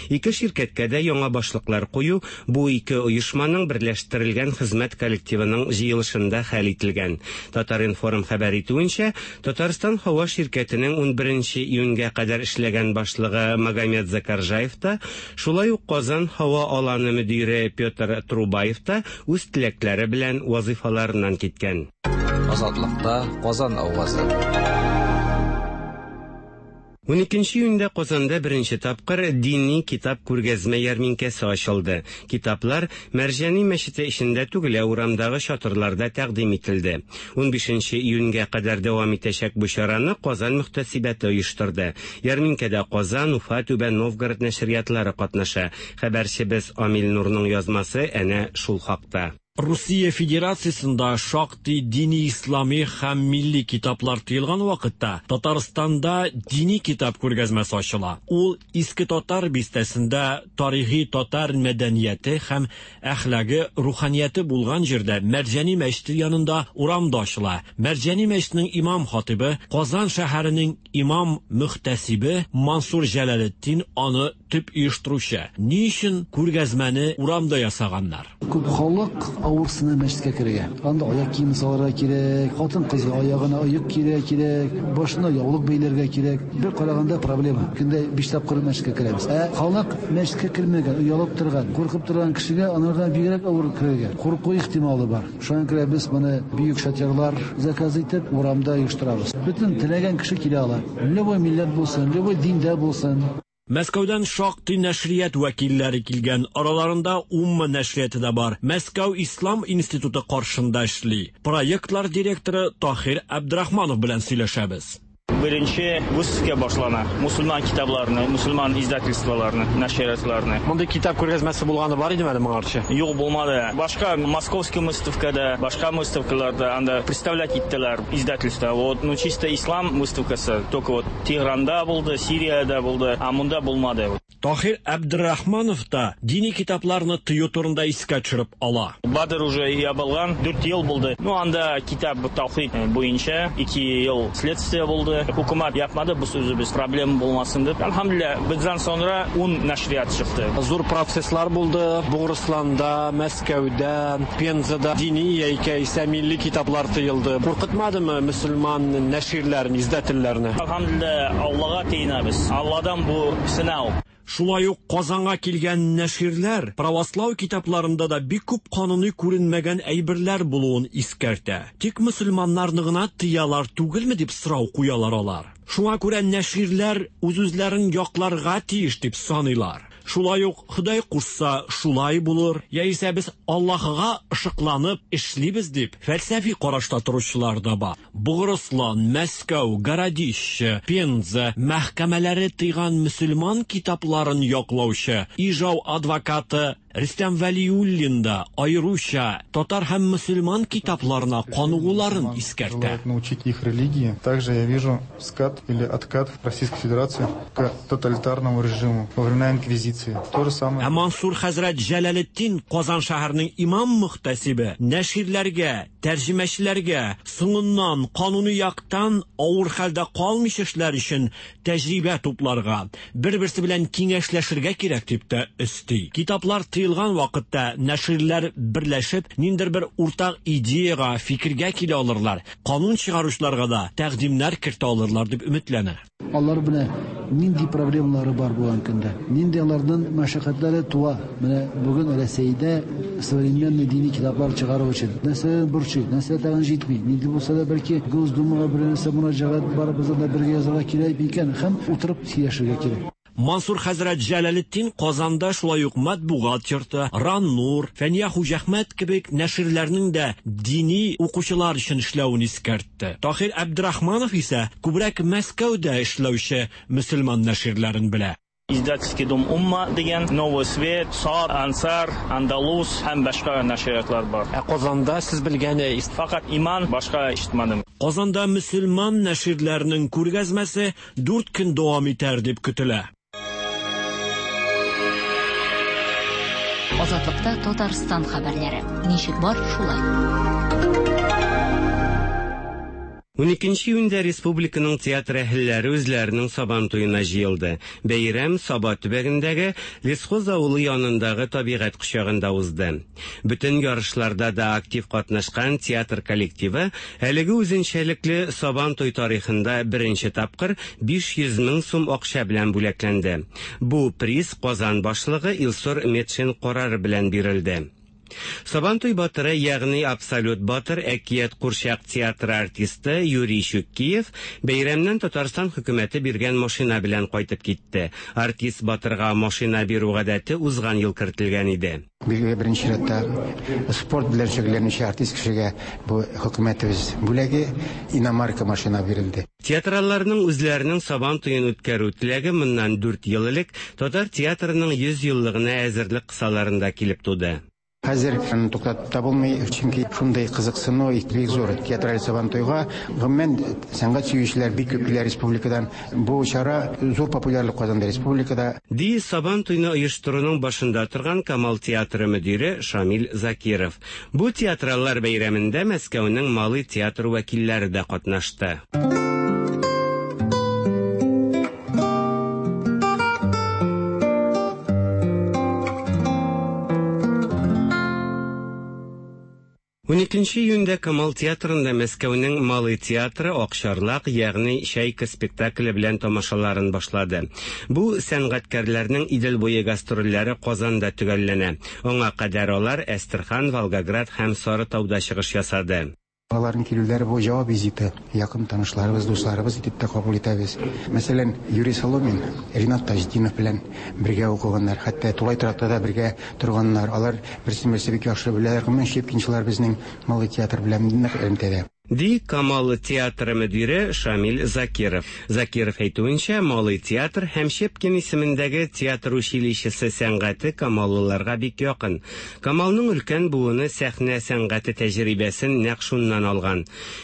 [SPEAKER 9] Ике ширкәткә дә яңа башлыклар кую бу ике оешманың берләштерелгән хезмәт коллективының җыелышында хәл ителгән. Татар-информ хәбәр итүенчә, Татарстан һава ширкәтенең 11 июньгә кадәр эшләгән башлыгы Магомед Закаржаев та, шулай ук Казан һава аланы мөдире Петр Трубаев та үз теләкләре белән вазыйфаларыннан киткән.
[SPEAKER 3] Азатлыкта Казан авазы.
[SPEAKER 9] 12 июньдә Казанда беренче тапкыр дини китап күргәзмә ярминкәсе ачылды. Китаплар Мәрҗани мәчете эчендә түгел, ә урамдагы чатырларда тәкъдим ителде. 15 июньгә кадәр дәвам итәчәк бу чараны Казан мөхтәсибәте оештырды. Ярминкәдә Казан, Уфа, Түбән Новгород нәшриятлары катнаша. Хәбәрчебез Амил Нурның язмасы әнә шул хакта.
[SPEAKER 17] Русия Федерациясендә шактый дини ислами һәм милли китаплар тыелган вакытта Татарстанда дини китап күргәзмәсе ачыла. Ул Иске Татар бистәсендә тарихи татар мәдәнияте һәм әхлагы, руханияте булган җирдә Мәрҗани мәчете янында урамда ачыла. Мәрҗани мәчетенең имам хатибы, Казан шәһәренең имам мөхтәсибе Мансур Җәләлетдин аны төп оештыручы. Ни өчен күргәзмәне урамда ясаганнар?
[SPEAKER 18] Күп халык авырсына мәчеткә керергә. Анда аяк киеме салырга кирәк, хатын-кызга аягына оек кияргә кирәк, башына яулык бәйләргә кирәк. Бер караганда проблема. Көндә биш тапкыр мәчеткә керәбез. Ә халык мәчеткә кермәгән, оялып торган, куркып торган кешегә анардан бигрәк авыр керергә. Курку ихтималы бар. Шуңа күрә без моны бөек шатерлар заказ итеп, урамда оештырабыз. Бөтен теләгән кеше килә ала. Любой милләт булсын, любой диндә булсын.
[SPEAKER 17] Мәскәүдән шактый нәшрият вәкилләре килгән, араларында Умма нәшрияты да бар. Мәскәү Ислам институты каршында эшли. Проектлар директоры Таһир Әбдрахманов белән сөйләшәбез.
[SPEAKER 19] Беренче выставка башлана. Мусульман китапларны, мусульман издательстволарны, нәшриятларны.
[SPEAKER 17] Мондый китап күргәзмәсе булганы бар идеме әле моңарчы?
[SPEAKER 19] Юк, булмады. Башка Московский выставкада, башка выставкаларда анда представлять иттеләр издательство. Вот, ну чисто ислам выставкасы только вот Тегеранда булды, Сириядә булды, ә монда булмады.
[SPEAKER 17] Таһир Әбдрахманов та дини китапларны тыю турында искә төшереп ала.
[SPEAKER 19] Бадр уже ябылган, 4 ел булды. Ну, анда китап таухид буенча 2 ел следствие булды. Хөкүмәт япмады, без үзебез проблема булмасын дип. Әлхәмдүлилләһ, бездән соңра 10 нәшрият чыкты.
[SPEAKER 17] Зур процесслар булды Бугырысланда, Мәскәүдә, Пензада дини яисә милли китаплар тыелды. Куркытмадымы мөселман нәширләрен, издательләрне?
[SPEAKER 19] Әлхәмдүлилләһ, Аллага тиенәбез. Алладан бу сынау.
[SPEAKER 17] Шулай ук Казанга килгән нәширләр правослау китапларында да бик күп кануни күренмәгән әйберләр булуын искәртә. Тик мөселманнарны гына тыялар түгелме дип сорау куялар алар. Шуңа күрә нәширләр үз-үзләрен якларга тиеш дип саныйлар. Шулай ук Ходай кушса, шулай булыр, яисә без Аллаһыга ышыкланып эшлибез дип фәлсәфи карашта торучылар да бар. Бугырыслан, Мәскәү, Городище, Пенза мәхкәмәләре тыйган мөселман китапларын яклаучы Ижау адвокаты Рөстәм Вәлиуллин да аеруча татар һәм мөселман китапларына каныгуларын искәртә.
[SPEAKER 20] Желает научить их религии. Также я вижу скат или откат Российской Федерации к тоталитарному режиму во времена инквизиции. То же самое.
[SPEAKER 17] Ә Мансур хәзрәт Җәләлетдин Казан шәһәренең имам мөхтәсибе нәширләргә, тәрҗемәчеләргә соңыннан кануни яктан авыр хәлдә калмыйча эшләр өчен тәҗрибә тупларга, бер-берсе белән киңәшләшергә кирәк дип тә өсти. Китаплар тыелган вакытта нәширләр берләшеп, ниндидер бер уртак идеяга, фикергә килә алырлар, канун чыгаручыларга да тәкъдимнәр кертә алырлар дип өметләнә.
[SPEAKER 18] Алар менә нинди проблемалары бар бүгенге көндә, нинди аларның мәшәкатьләре туа. Менә бүген Рәсәйдә современный дини китаплар чыгару өчен нәрсә борчый, нәрсә тагын җитми. Нинди булса да бәлки Госдумага бер нәрсә мөрәҗәгать барыбыздан да бергә язарга кирәк микән һәм утырып сөйләшергә кирәк.
[SPEAKER 17] Мансур хәзрәт Җәләлетдин Казанда шулай ук Матбугат йорты, Раннур, Фәния Хуҗәхмәт кебек нәширләрнең дә дини укучылар өчен эшләвен искәртте. Таһир Әбдрахманов исә күбрәк Мәскәүдә эшләүче мөселман нәширләрен белә.
[SPEAKER 19] Издательский дом Умма дигән, Новый Свет, Сар, Ансар, Андалус һәм башка нәшриятлар бар.
[SPEAKER 17] Ә Казанда сез белгән
[SPEAKER 19] Факат Иман, башка ишетмәдем.
[SPEAKER 17] Казанда мөселман нәширләренең күргәзмәсе 4 көн дәвам итәр дип көтелә.
[SPEAKER 2] Азатлыкта Татарстан хәбәрләре. Ничек бар, шулай.
[SPEAKER 9] 12 июньдә республиканың театр әһелләре үзләренең Сабан туена җыелды. Бәйрәм Саба төбәгендәге Лесхоз авылы янындагы табигать кочагында узды. Бөтен ярышларда да актив катнашкан театр коллективы әлеге үзенчәлекле Сабан туй тарихында беренче тапкыр 500 мең сум акча белән бүләкләнде. Бу приз Казан башлыгы Илсур Метшин карары белән бирелде. Сабантуй батыры, ягъни абсолют батыр әкият курчак театры артисты Юрий Щуккиев бәйрәмнән Татарстан хөкүмәте биргән машина белән кайтып китте. Артист батырга машина бирү гадәте узган ел кертелгән иде.
[SPEAKER 21] Билгеле, беренче чиратта спорт белән шөгыльләнүче артист кешегә бу хөкүмәтебез бүләге иномарка машина бирелде.
[SPEAKER 9] Театралларның үзләренең Сабан туен үткәрү теләге моннан 4 ел элек татар театрының 100 еллыгына әзерлек кысаларында килеп туды.
[SPEAKER 21] Хәзер аны туктатып та булмый, чөнки шундый кызыксыну бик зур театраль Сабантуйга. Гомумән, сәнгать сөючеләр бик күп килә республикадан. Бу чара зур популярлык казанды республикада.
[SPEAKER 9] Ди Сабан туйны оештыруның башында торган Камал театры мөдире Шамил Закиров. Бу театраллар бәйрәмендә Мәскәүнең Малый театр вәкилләре дә катнашты. Уникенче июньдә Камал театрында Мәскәүнең Малый театры Акчарлак, ягъни Чайка спектакле белән тамашаларын башлады. Бу сәнгатькәрләрнең Идел буе гастрольләре Казанда төгәлләнә. Аңа кадәр алар Әстерхан, Волгоград һәм Сарытауда чыгыш ясады.
[SPEAKER 21] Аларның килүләре бу җавап визиты. Якын танышларыбыз, дусларыбыз итеп тә кабул итәбез. Мәсәлән, Юрий Соломин Ринат Таҗетдинов белән бергә укыганнар, хәтта тулай торакта да бергә торганнар. Алар берсен-берсе бик яхшы беләләр. Гомумән, щепкинчылар безнең Малый театр белән нык элемтәдә.
[SPEAKER 9] Ди Камал театры мөдире Шамил Закиров. Закиров әйтүенчә, Малый театр һәм Щепкин исемендәге театр училищесы сәнгате камаллыларга бик якын. Камалның өлкән буыны сәхнә сәнгате тәҗрибәсен нәкъ шуннан алган.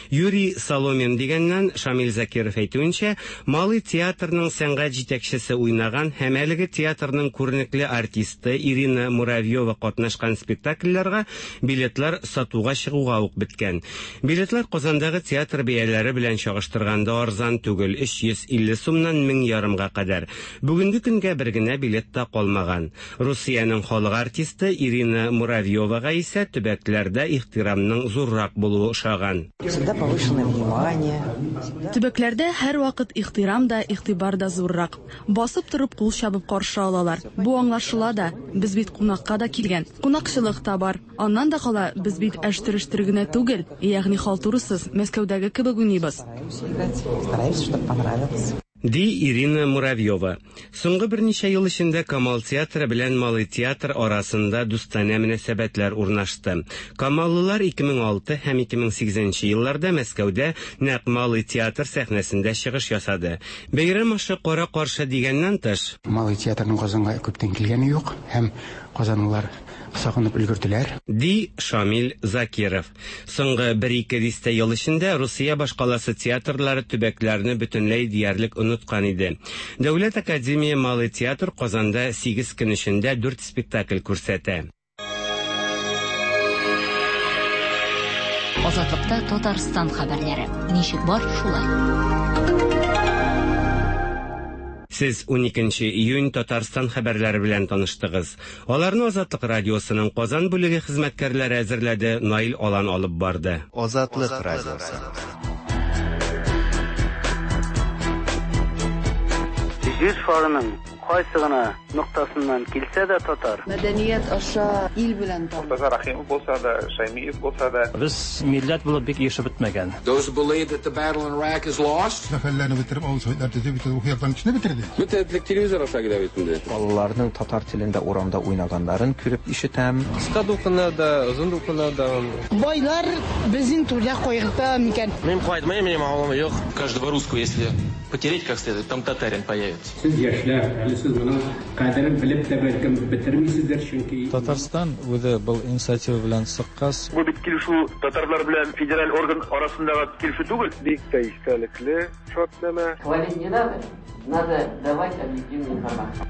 [SPEAKER 9] Юрий Соломин дигәннән, Шамил Закиров әйтүенчә, Малый театрның сәнгать җитәкчесе уйнаган һәм әлеге театрның күренекле артисты Ирина Муравьева катнашкан спектакльләргә билетлар сатуга чыгуга ук беткән. Билетлар Казандагы театр бәяләре белән чагыштырганда арзан түгел, 350 сумнан 1000 ярымга кадәр. Бүгенге көнгә бер генә билет та калмаган. Русиянең халык артисты Ирина Муравьевага исә төбәкләрдә ихтирамның зуррак булуы ошаган.
[SPEAKER 4] Всегда повышенное внимание.
[SPEAKER 22] Төбәкләрдә һәрвакыт ихтирам да, игътибар да зуррак. Басып торып кул чабып каршы алалар. Бу аңлашыла да, без бит кунакка да килгән. Кунакчылык та бар. Аннан да кала, без бит әштер-өштер генә түгел, ягъни халтурасыз, Мәскәүдәге кебек уйныйбыз.
[SPEAKER 4] Стараемся, чтобы понравилось.
[SPEAKER 9] Ди Ирина Муравьева. Соңгы берничә ел эчендә Камал театры белән Малый театр арасында дустанә мөнәсәбәтләр урнашты. Камаллылар 2006 һәм 2008 елларда Мәскәүдә нәкъ Малый театр сәхнәсендә чыгыш ясады. Бәйрәм ашы кара-каршы дигәннән тыш,
[SPEAKER 21] Малый театрның Казанга күптән килгәне юк һәм казанлылар сагынып өлгерделәр.
[SPEAKER 9] Ди Шамил Закиров. Соңгы бер-ике дистә ел эчендә Русия башкаласы театрлары төбәкләрне бөтенләй диярлек оныткан иде. Дәүләт академия Малый театр Казанда сигез көн эчендә дүрт спектакль күрсәтә.
[SPEAKER 2] Азатлыкта Татарстан хәбәрләре. Ничек бар, шулай.
[SPEAKER 9] Сез уникенче июнь Татарстан хәбәрләре белән таныштыгыз. Аларны Азатлык радиосының Казан бүлеге хезмәткәрләре әзерләде, Наил Алан алып барды.
[SPEAKER 23] Азатлык радиосы.
[SPEAKER 24] Җир шарының кайсы гына ноктасыннан килсә дә татар.
[SPEAKER 25] Мәдәният аша ил белән таныш.
[SPEAKER 26] Мортаза Рәхимов булса да, Шәймиев булса да.
[SPEAKER 27] Без милләт булып бик ирешеп бетмәгән.
[SPEAKER 28] Those who believe that the battle in Iraq is lost.
[SPEAKER 12] Сәфәрләрне бетереп, авыл советлар төзеп, бөтен рухи яктан кешене бетерде.
[SPEAKER 29] Бөтен телевизор аша килә бит инде.
[SPEAKER 30] Балаларның татар телендә урамда уйнаганнарын күреп ишетәм.
[SPEAKER 29] Кыска дулкыннар да, озын дулкыннар да.
[SPEAKER 31] Байлар безнең түрдә кайгырта микән?
[SPEAKER 29] Мин кайтмыйм, минем авылым юк.
[SPEAKER 5] Каждого русского, если потереть как следует, там татарин появится.
[SPEAKER 32] Сез яшьләр, әле сез моның кадерен белеп тә бәлкем бетермисездер, чөнки
[SPEAKER 33] Татарстан үзе был инициатива белән чыккач,
[SPEAKER 34] Бу бит килешү татарлар белән федераль орган арасындагы килешү түгел.
[SPEAKER 35] Бик тә истәлекле шартнамә.
[SPEAKER 36] Хвалить не надо, надо давать объективную информацию.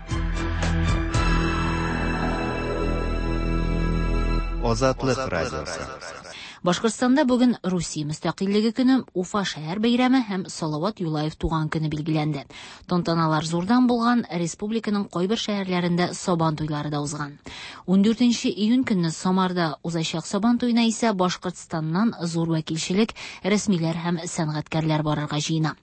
[SPEAKER 23] Азатлык радиосы.
[SPEAKER 2] Башкортстанда бүген Русия мөстәкыйльлеге көне, Уфа шәһәр бәйрәме һәм Салават Юлаев туган көне билгеләнде. Тантаналар зурдан булган, республиканың кайбер шәһәрләрендә Сабан туйлары да узган. 14 июнь көнне Самарда узачак Сабан туена исә Башкортстаннан зур вәкилчелек, рәсмиләр һәм сәнгатькәрләр барырга җыена.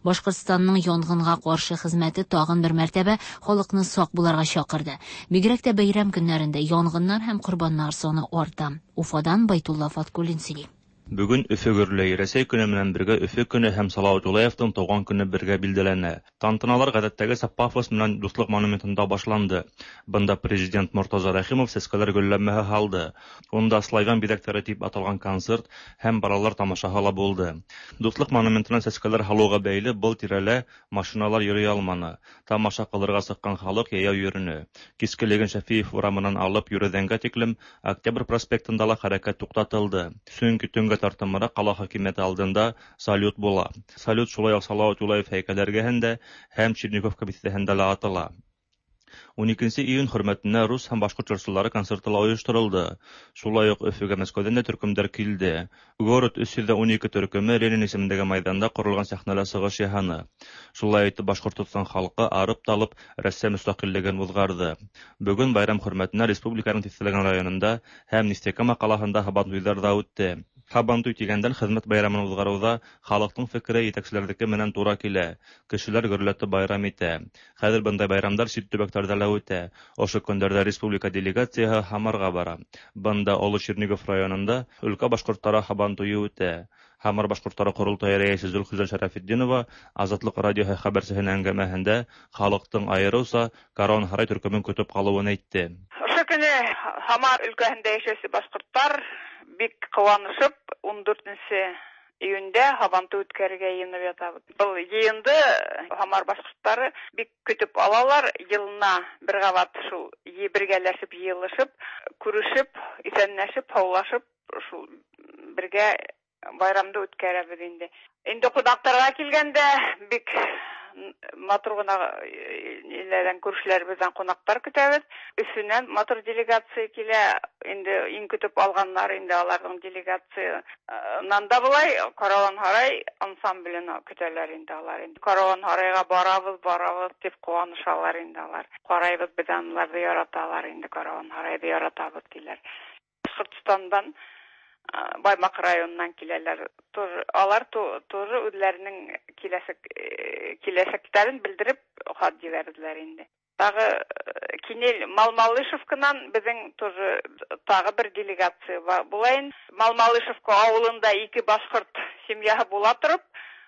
[SPEAKER 2] Башкортстанның янгынга каршы хезмәте тагын бер мәртәбә халыкны сак буларга чакырды. Бигрәк тә бәйрәм көннәрендә янгыннар һәм корбаннар саны арта. Уфадан Байтулла Фаткуллин сөйли.
[SPEAKER 1] Бүген Өфе гөрләй. Рәсәй көне белән бергә Өфе көне һәм Салават Юлаевның туган көне бергә билдәләнә. Тантаналар гадәттәгечә пафос белән Дуслык монументында башланды. Бында президент Мортаза Рәхимов сәскәләр гөлләмәһе һалды. Унда Славян бизәктәре дип аталган концерт һәм балалар тамашаһы ла булды. Дуслык монументына сәскәләр һалуга бәйле был тирәлә машиналар йөри алманы. Тамаша кылырга чыккан халык йәяү йөрене. Кичкелеген Шәфиев урамыннан алып Юрүзәнгә тиклем Октябрь проспектында ла хәрәкәт туктатылды. Чөнки төнгә тартымрак кала хакимияте алдында салют була. Салют шулай ук Салават Юлаев һәйкәле эргәһендә һәм Черниковка бистәһендә лә атыла. Уникенче июнь хөрмәтенә рус һәм башкорт җырчылары концерты ла оештырылды. Шулай ук Өфегә Мәскәүдән дә төркемдәр килде. Город 312 төркеме Ленин исемендәге майданда корылган сәхнәлә чыгыш яһаны. Шулай итеп Башкортостан халкы арып-талып Рәссәй мөстәкыйльлеген узгарды. Бүген байрам хөрмәтенә республиканың тиҫтәләгән районында һәм Нефтекама калаһында һабантуйҙар ҙа үтте. Һабантуй тигәндән, хеҙмәт байрамын уҙғарыуҙа халыҡтың фекере етәкселәрҙеке менән тура килә. Кешеләр гөрләтеп байрам итә. Хәҙер бындай байрамдар сит төбәктәрҙә лә үтә. Ошо көндәрҙә республика делегацияһы Һамарға бара. Бында Оло Чернигов районында өлкә башҡорттары һабантуйы үтә. Һамар башҡорттары ҡоролтайы рәйесе Зөлхизә Шәрәфетдинова Азатлыҡ радиоһы хәбәрсеһенең әңгәмәһендә халыҡтың айырыуса Каруан һарай төркөмөн көтөп ҡалыуын әйтте.
[SPEAKER 3] Ошо көнө Һамар өлкәһендә йәшәүсе башҡорттар бик ҡыуанышып 14 июндә һабантуй үткәрергә йыйынып ятабыҙ. Был йыйынды Һамар башҡорттары бик көтөп алалар. Йылына бер ҡабат шул бергәләшеп, йыйылышып, күрешеп, иҫәнләшеп, һаулашып, шул бергә байрамды үткәрәбеҙ инде. Инде ҡунаҡтарға килгәндә бик матур ғына ниләрҙән, күршеләребеҙҙән ҡунаҡтар көтәбеҙ. Өфөнән матур делегация килә. Инде иң көтөп алғаннар инде аларҙың делегациянан да былай Каруан һарай ансамблен көтәләр инде алар. Инде Каруан һарайға барабыҙ, барабыҙ тип ҡыуанышалар инде алар. Ҡарайбыҙ, беҙ аналарҙы яраталар инде, Каруан һарайҙы яратабыҙ тиләр. Башҡортостандан Баймаҡ районынан киләләр. Тоже, алар тоже үҙҙәренең киләсәктәрен белдереп хат ебәрҙеләр инде. Тағы Кинель Малмалышевканан беҙҙең тоже тағы бер делегация була инде. Малмалышевка ауылында ике башҡорт семьяһы була тороп,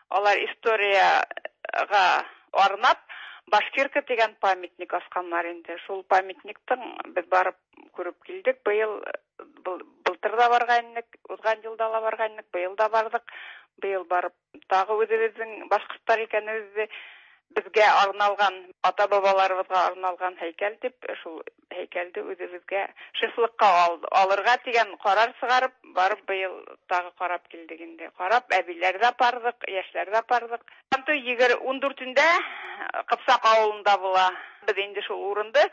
[SPEAKER 3] алар историяға арнап Башкирка тигән памятник асҡаннар инде. Шул памятниктың беҙ барып күреп килдек. Быйыл, былтыр ҙа барған инек, уҙған йылда ла барған инек, быйыл да барҙыҡ. Быйыл барып тағы үҙебеҙҙең башҡорттар икәнебеҙҙе беҙгә арналған, ата-бабаларыбыҙға арналған һәйкәл тип, шул һәйкәлде үҙебеҙгә шефлыҡҡа алырға тигән ҡарар сығарып, барып быйыл тағы ҡарап килдек инде. Ҡарап, әбиләр ҙә барҙыҡ, йәштәр ҙә барҙыҡ. Һабантуй егер ун дүртендә Ҡыпсаҡ ауылында була. Беҙ инде шул урынды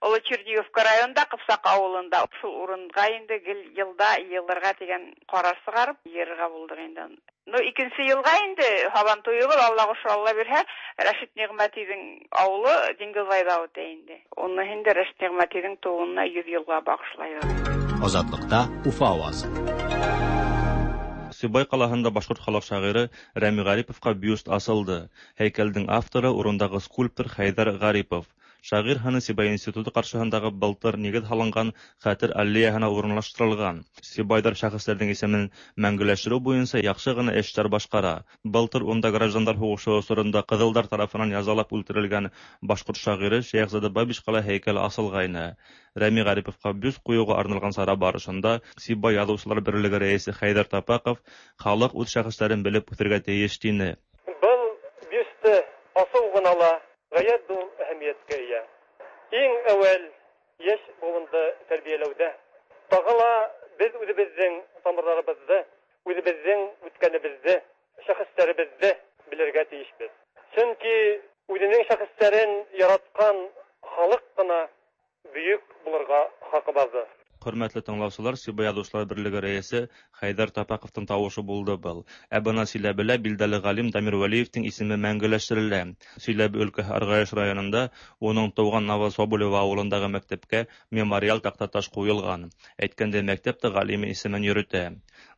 [SPEAKER 3] Оло Черниговка районында Ҡыпсаҡ ауылында шул урынға инде гел йылда йыйылырға тигән ҡарар сығарып йыйырға булдыҡ инде. Ну, икенсе йылға инде һабантуйыбыҙ, Алла ҡушһа, Алла бирһә, Рәшит Ниғмәтиҙең ауылы Диңгеҙбайҙа үтә инде. Уны инде Рәшит Ниғмәтиҙең тыуыуына 100 йылға бағышлайбыҙ.
[SPEAKER 6] Азатлыҡта Уфа ауазы.
[SPEAKER 1] Сибай ҡалаһында башҡорт халыҡ шағиры Рәми Ғариповҡа бюст асылды. Һәйкәлдең авторы урындағы скульптор Хәйҙәр Ғарипов. Шағир һыны Сибай институты ҡаршыһындағы былтыр нигеҙ һалынған хәтер аллеяһына урынлаштырылған. Сибайҙар шәхестәрҙең исемен мәңгеләштереү буйынса яҡшы ғына эштәр башҡара. Былтыр унда граждандар һуғышы осоронда ҡыҙылдар тарафынан язалап үлтерелгән башҡорт шағиры Шәйехзада Бабичҡа ла һәйкәл асылғайны. Рәми Ғариповҡа бюст ҡуйыуға арналған сара барышында Сибай яҙыусылар берлеге рәйесе Хәйҙәр Тапаҡов халыҡ үҙ шәхестәрен белеп үҫергә тейеш тине.
[SPEAKER 7] Был бюсты асыу ғына ла ғәйәт ҙур әһәмиәткә эйә. Иң әүәл йәш быуынды тәрбиәләүҙә. Тағы ла беҙ үҙебеҙҙең тамырҙарыбыҙҙы, үҙебеҙҙең үткәнебеҙҙе, шәхестәребеҙҙе белергә тейешбеҙ. Сөнки үҙенең шәхестәрен яратҡан халыҡ ҡына бөйөк булырға хаҡы барҙыр.
[SPEAKER 1] Хөрмәтле тыңлаусылар, Сибай яҙыусылар берлеге рәйесе Хәйҙәр Тапаҡовтың тауышы булды был. Ә бына Силәбелә билдәле ғалим Дамир Вәлиевтең исеме мәңгеләштерелә. Силәбе өлкәһе Арғаяш районында уның тыуған Новособолево ауылындағы мәктәпкә мемориал таҡтаташ ҡуйылған. Әйткәндәй, мәктәп тә ғалим исемен йөрөтә.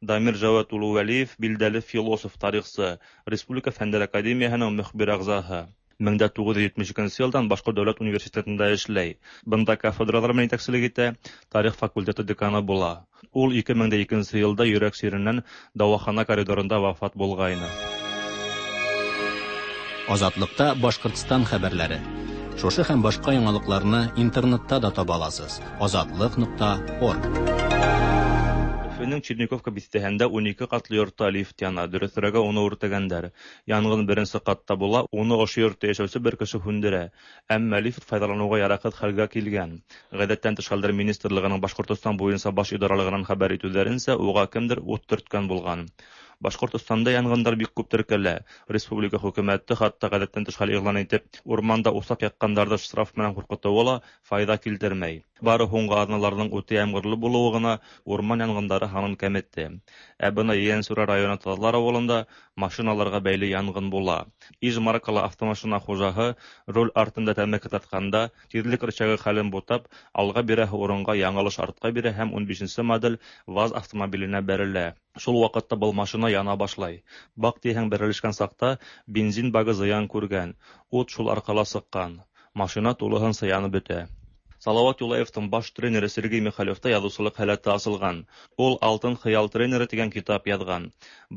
[SPEAKER 1] Дамир Жауат улы Вәлиев билдәле философ, тарихсы, Республика Фәндәр Академияһының мөхбир ағзаһы. 1972 елдан Башкорт дәүләт университетында эшләй. Бында кафедралар белән итәкчелек итә, тарих факультеты деканы була. Ул 2002 елда йөрәк чиреннән дәвахана коридорында вафат булгайны.
[SPEAKER 4] Азатлыкта Башкортстан хәбәрләре. Шушы һәм башка яңалыкларны интернетта да таба аласыз: азатлык.орг.
[SPEAKER 1] Өфенең Черниковка бистәһендә 12 катлы йортта лифт яна, дөресрәге уны үртәгәннәр. Янгын беренче катта була, уны ошо йортта яшәүче бер кеше һүндерә. Әмма лифт файдалануга яраксыз хәлгә килгән. Гадәттән тыш хәлләр министрлыгының Башкортостан буенча баш идаралыгыннан хәбәр итүләренчә, уга кемдер ут төрткән булган. Башкортостанда янгыннар бик күп теркәлә. Республика хөкүмәте хатта гадәттән тыш хәл игълан итеп, урманда усак якканнарны штраф белән куркытуы ла файда килтермәй. Бары һуңгы аҙналарҙың үтә ямғырлы булыуы ғына урман янғындары һанын кәметте. Ә бына Ейәнсура районы Таҙлар ауылында машиналарға бәйле янғын була. Иж маркалы автомашина хужаһы руль артында тәмәке тартҡанда тиҙлек рычагы хәлен бутап, алға бирәһе урынға яңылыш артҡа бирә һәм 15 модель ВАЗ автомобиленә бәрелә. Шул ваҡытта был машина яна башлай. Бак тиһәң, бәрелешкән саҡта бензин багы зыян күргән, ут шул арҡала сыҡҡан. Машина тулыһынса янып бөтә. Салават Юлаевтың баш тренеры Сергей Михалевта яҙыусылыҡ һәләте асылған. Ул «Алтын хыял тренеры» тигән китап яҙған.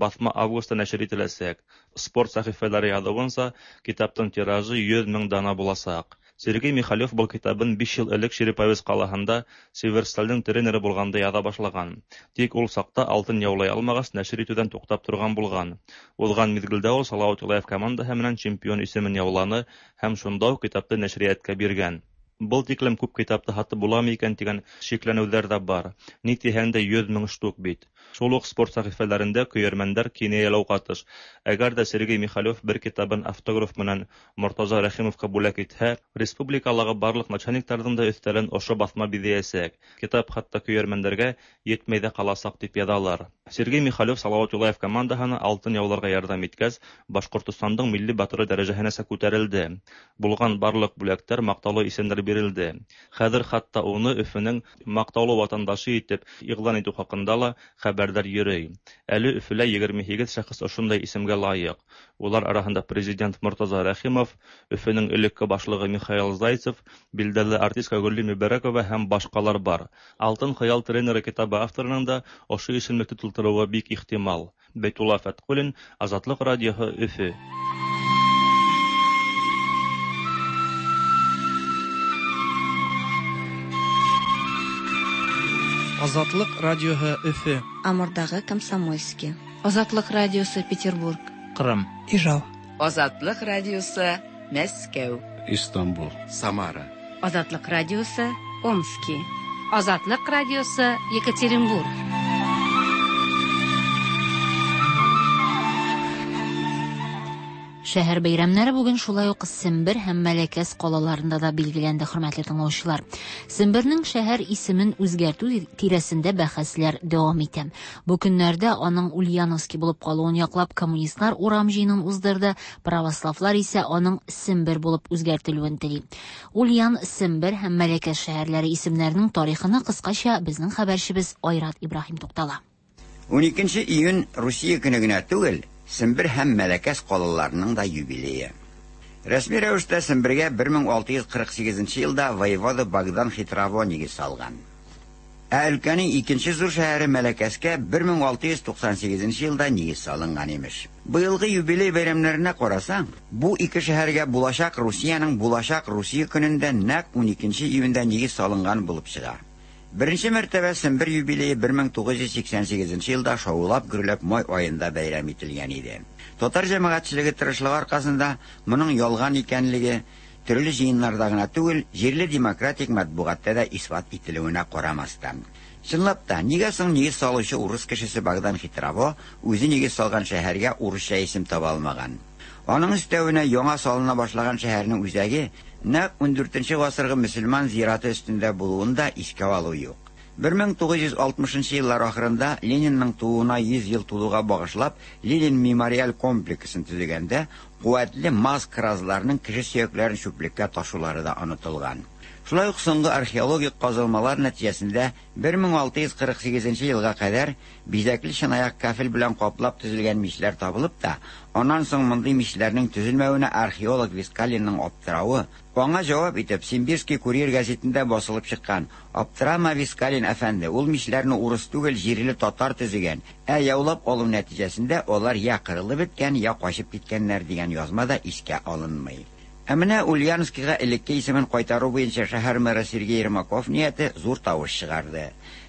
[SPEAKER 1] Баҫма августта нәшер ителәсәк. Спорт сәхифәләре яҙыуынса, китаптың тиражы 100 мең дана буласаҡ. Сергей Михалев был китабын 5 йыл элек Череповец ҡалаһында Северсталдың тренеры булғанда яҙа башлаған. Тик ул саҡта алтын яулай алмағас, нәшер итеүҙән туҡтап торған булған. Уҙған миҙгелдә ул Салават Юлаев командаһы менән чемпион исемен яуланы һәм шунда уҡ китапты нәшриәткә биргән. Был тиклем күп китапты һатып буламы икән тигән шикләнеүҙәр ҙә бар. Ни тиһәң дә 100 мең штук бит. Шул уҡ спорт сәхифәләрендә көйәрмәндәр кинәйәләү ҡатыш. Әгәр ҙә Сергей Михалев бер китабын автограф менән Мортаза Рәхимовҡа бүләк итһә, республикалағы барлыҡ начальниктарҙың да өҫтәлен ошо баҫма биҙәйәсәк. Китап хатта көйәрмәндәргә етмәй ҙә ҡаласаҡ тип яҙалар. Сергей Михалев Салават Юлаев командаһына алтын яуларға ярҙам иткәс, Башҡортостандың милли батыры дәрәжәһенәсә күтәрелде. Булған барлыҡ бүләктәр, маҡтаулы исемдәр бирелде. Хәҙер хатта уны Өфөнөң маҡтаулы ватандашы итеп иғлан итеү хаҡында ла хәбәрҙәр йөрөй. Әле Өфөлә 28 шәхес ошондай исемгә лайыҡ. Улар араһында президент Мортаза Рәхимов, Өфөнөң элекке башлығы Михаил Зайцев, билдәле артистка Гөлли Мөбәрәкова һәм башҡалар бар. «Алтын хыял тренеры» китабы авторының да ошо исемлекте тултырыуы бик ихтимал. Бәйтулла Фәтҡуллин, Азатлыҡ радиоһы, Өфө.
[SPEAKER 6] Азатлык радиоһы Өфө.
[SPEAKER 8] Амурдағы Комсомольский.
[SPEAKER 9] Азатлык радиосы Петербург.
[SPEAKER 27] Кырым.
[SPEAKER 10] Ижау.
[SPEAKER 11] Азатлык радиосы Мәскәү.
[SPEAKER 13] Истанбул. Самара.
[SPEAKER 14] Азатлык радиосы Омский.
[SPEAKER 15] Азатлык радиосы Екатеринбург.
[SPEAKER 2] Шәһәр бәйрәмнәре бүген шулай ук Сембер һәм Мәләкәс ҡалаларында да билгеләнде, хөрмәтле тыңлаучылар. Сембернең шәһәр исемен үзгәртү тирәсендә бәхәсләр дәвам итә. Бу көннәрдә аның Ульяновский булып калуын яклап коммунистлар урам җыенын уздырды, православлар исә аның Сембер булып үзгәртелүен тели. Ульян, Сембер һәм Мәләкәс шәһәрләре исемнәренең тарихына кыскача безнең хәбәрчебез Айрат Ибраһим туктала.
[SPEAKER 16] 12 июнь Русия көне генә түгел, Сембер һәм Мәләкәс ҡалаларының да юбилее. Рәсми рәүештә Сембергә 1648 елда воевода Богдан Хитрово нигеҙ салған. Ә өлкәнең икенче ҙур шәһәре Мәләкәскә 1698 елда нигеҙ салынған имеш. Быйылғы юбилей бәйрәмнәренә ҡарасаң, бу ике шәһәргә буласаҡ Русияның буласаҡ Русия көнөндә нәҡ 12 июндә нигеҙ салынған булып сыға. Беренче мәртәбә Сембер юбилее 1988 елда шаулап гөрләп май айында бәйрәм ителгән иде. Татар җәмәгатьчелеге тырышлыгы аркасында моның ялган икәнлеге төрле җыеннарда гына түгел, җирле демократик матбугатта да исбат ителүенә карамастан. Чынлап та, нигә соң нигез салучы урыс кешесе Богдан Хитрово үзе нигез салган шәһәргә урысча исем таба алмаган? Аның өстәвенә яңа салына башлаган шәһәрнең үзәге нәкъ 14 гасыргы мөселман зираты өстендә булуын да искә алу юк. 1960 еллар ахырында Ленинның тууына 100 ел тулуга багышлап Ленин мемориаль комплексын төзегәндә куәтле маз кразларының кеше сөякләрен чүплеккә ташулары да онытылган. Шулай ук соңгы археологик казылмалар нәтиҗәсендә 1648 нче елга кадәр бизәкле чынаяк кафель белән каплап төзелгән мичләр табылып та, аннан соң мондый мичләрнең төзелмәвенә археолог Вискалинның аптыравы, аңа җавап итеп Симбирский курьер гәзитендә басылып чыккан Аптырама, Вискалин әфәнде, ул мичләрне урыс түгел, җирле татар төзегән, ә яулап алу нәтиҗәсендә алар я кырылып беткән, я качып киткәннәр дигән язма да искә алынмый. Ә менә Ульяновскига элекке исемен кайтару буенча шәһәр мэры Сергей Ермаков нияте зур тавыш чыгарды.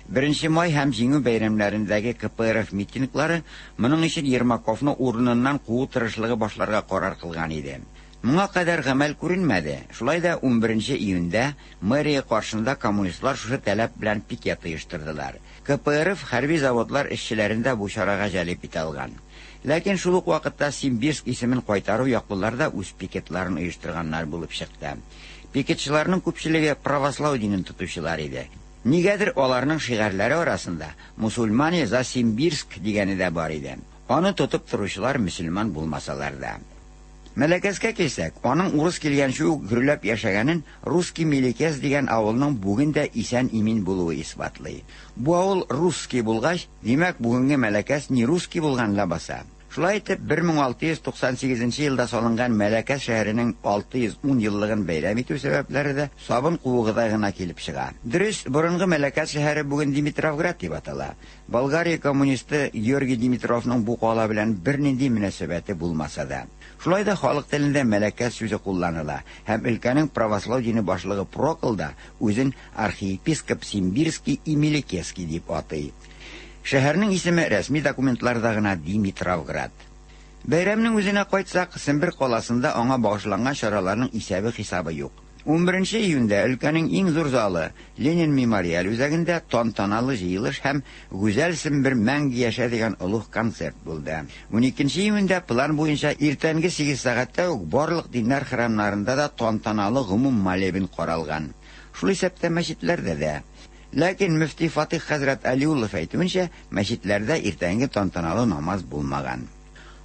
[SPEAKER 16] Беренче май һәм Җиңү бәйрәмнәрендәге КПРФ митинглары моның өчен Ермаковны урыныннан куу тырышлыгы башларга карар кылган иде. Моңа кадәр гамәл күренмәде, шулай да унберенче июньдә мэрия каршында коммунистлар шушы таләп белән пикет оештырдылар. КПРФ хәрби заводлар эшчеләрен дә бу чарага җәлеп итә алган. Ләкин шул ук вакытта Симбирск исемен кайтару яклылар да үз пикетларын оештырганнар булып чыкты. Пикетчыларның күпчелеге правослау динен тотучылар иде. Нигәдер аларның шигарьләре арасында Мусульмане за Симбирск дигәне дә бар иде. Аны тотып торучылар мөселман булмасалар да. Мәләкәскә килсәк, аның урыс килгәнче үк гөрләп яшәгәнен Русский Мелекес дигән авылның бүген дә исән-имин булуы исбатлый. Бу авыл русский булгач, димәк, бүгенге Мәләкәс не русский булган ләбаса. Шулай итеп, 1698 нче елда салынган Мәләкәс шәһәренең 610 еллыгын бәйрәм итү сәбәпләре дә сабын куыгыдай гына килеп чыга. Дөрес, борынгы Мәләкәс шәһәре бүген Димитровград дип атала. Болгария коммунисты Георгий Димитровның бу кала белән бернинди мөнәсәбәте булмаса да. Шулай да халык телендә Мәләкәс сүзе кулланыла һәм өлкәнең правослау дине башлыгы Прокл да үзен архиепископ Симбирский и Мелекесский дип атый. Шәһәрнең исеме рәсми документларда гына Димитровград. Бәйрәмнең үзенә кайтсак, Сембер каласында аңа багышланган чараларның исәбе-хисабы юк. Унберенче июньдә өлкәнең иң зур залы, Ленин мемориаль үзәгендә тантаналы җыелыш һәм Гүзәл Сембер мәңге яшә дигән олуг концерт булды. Уникенче июньдә план буенча иртәнге сигез сәгатьтә үк барлык диннәр храмнарында да тантаналы гомум молебен каралган. Шул исәптә мәчетләрдә дә. Ләкин мөфти Фатыйх хәзрәт Алиуллов әйтүенчә, мәчетләрдә иртәнге тантаналы намаз булмаган.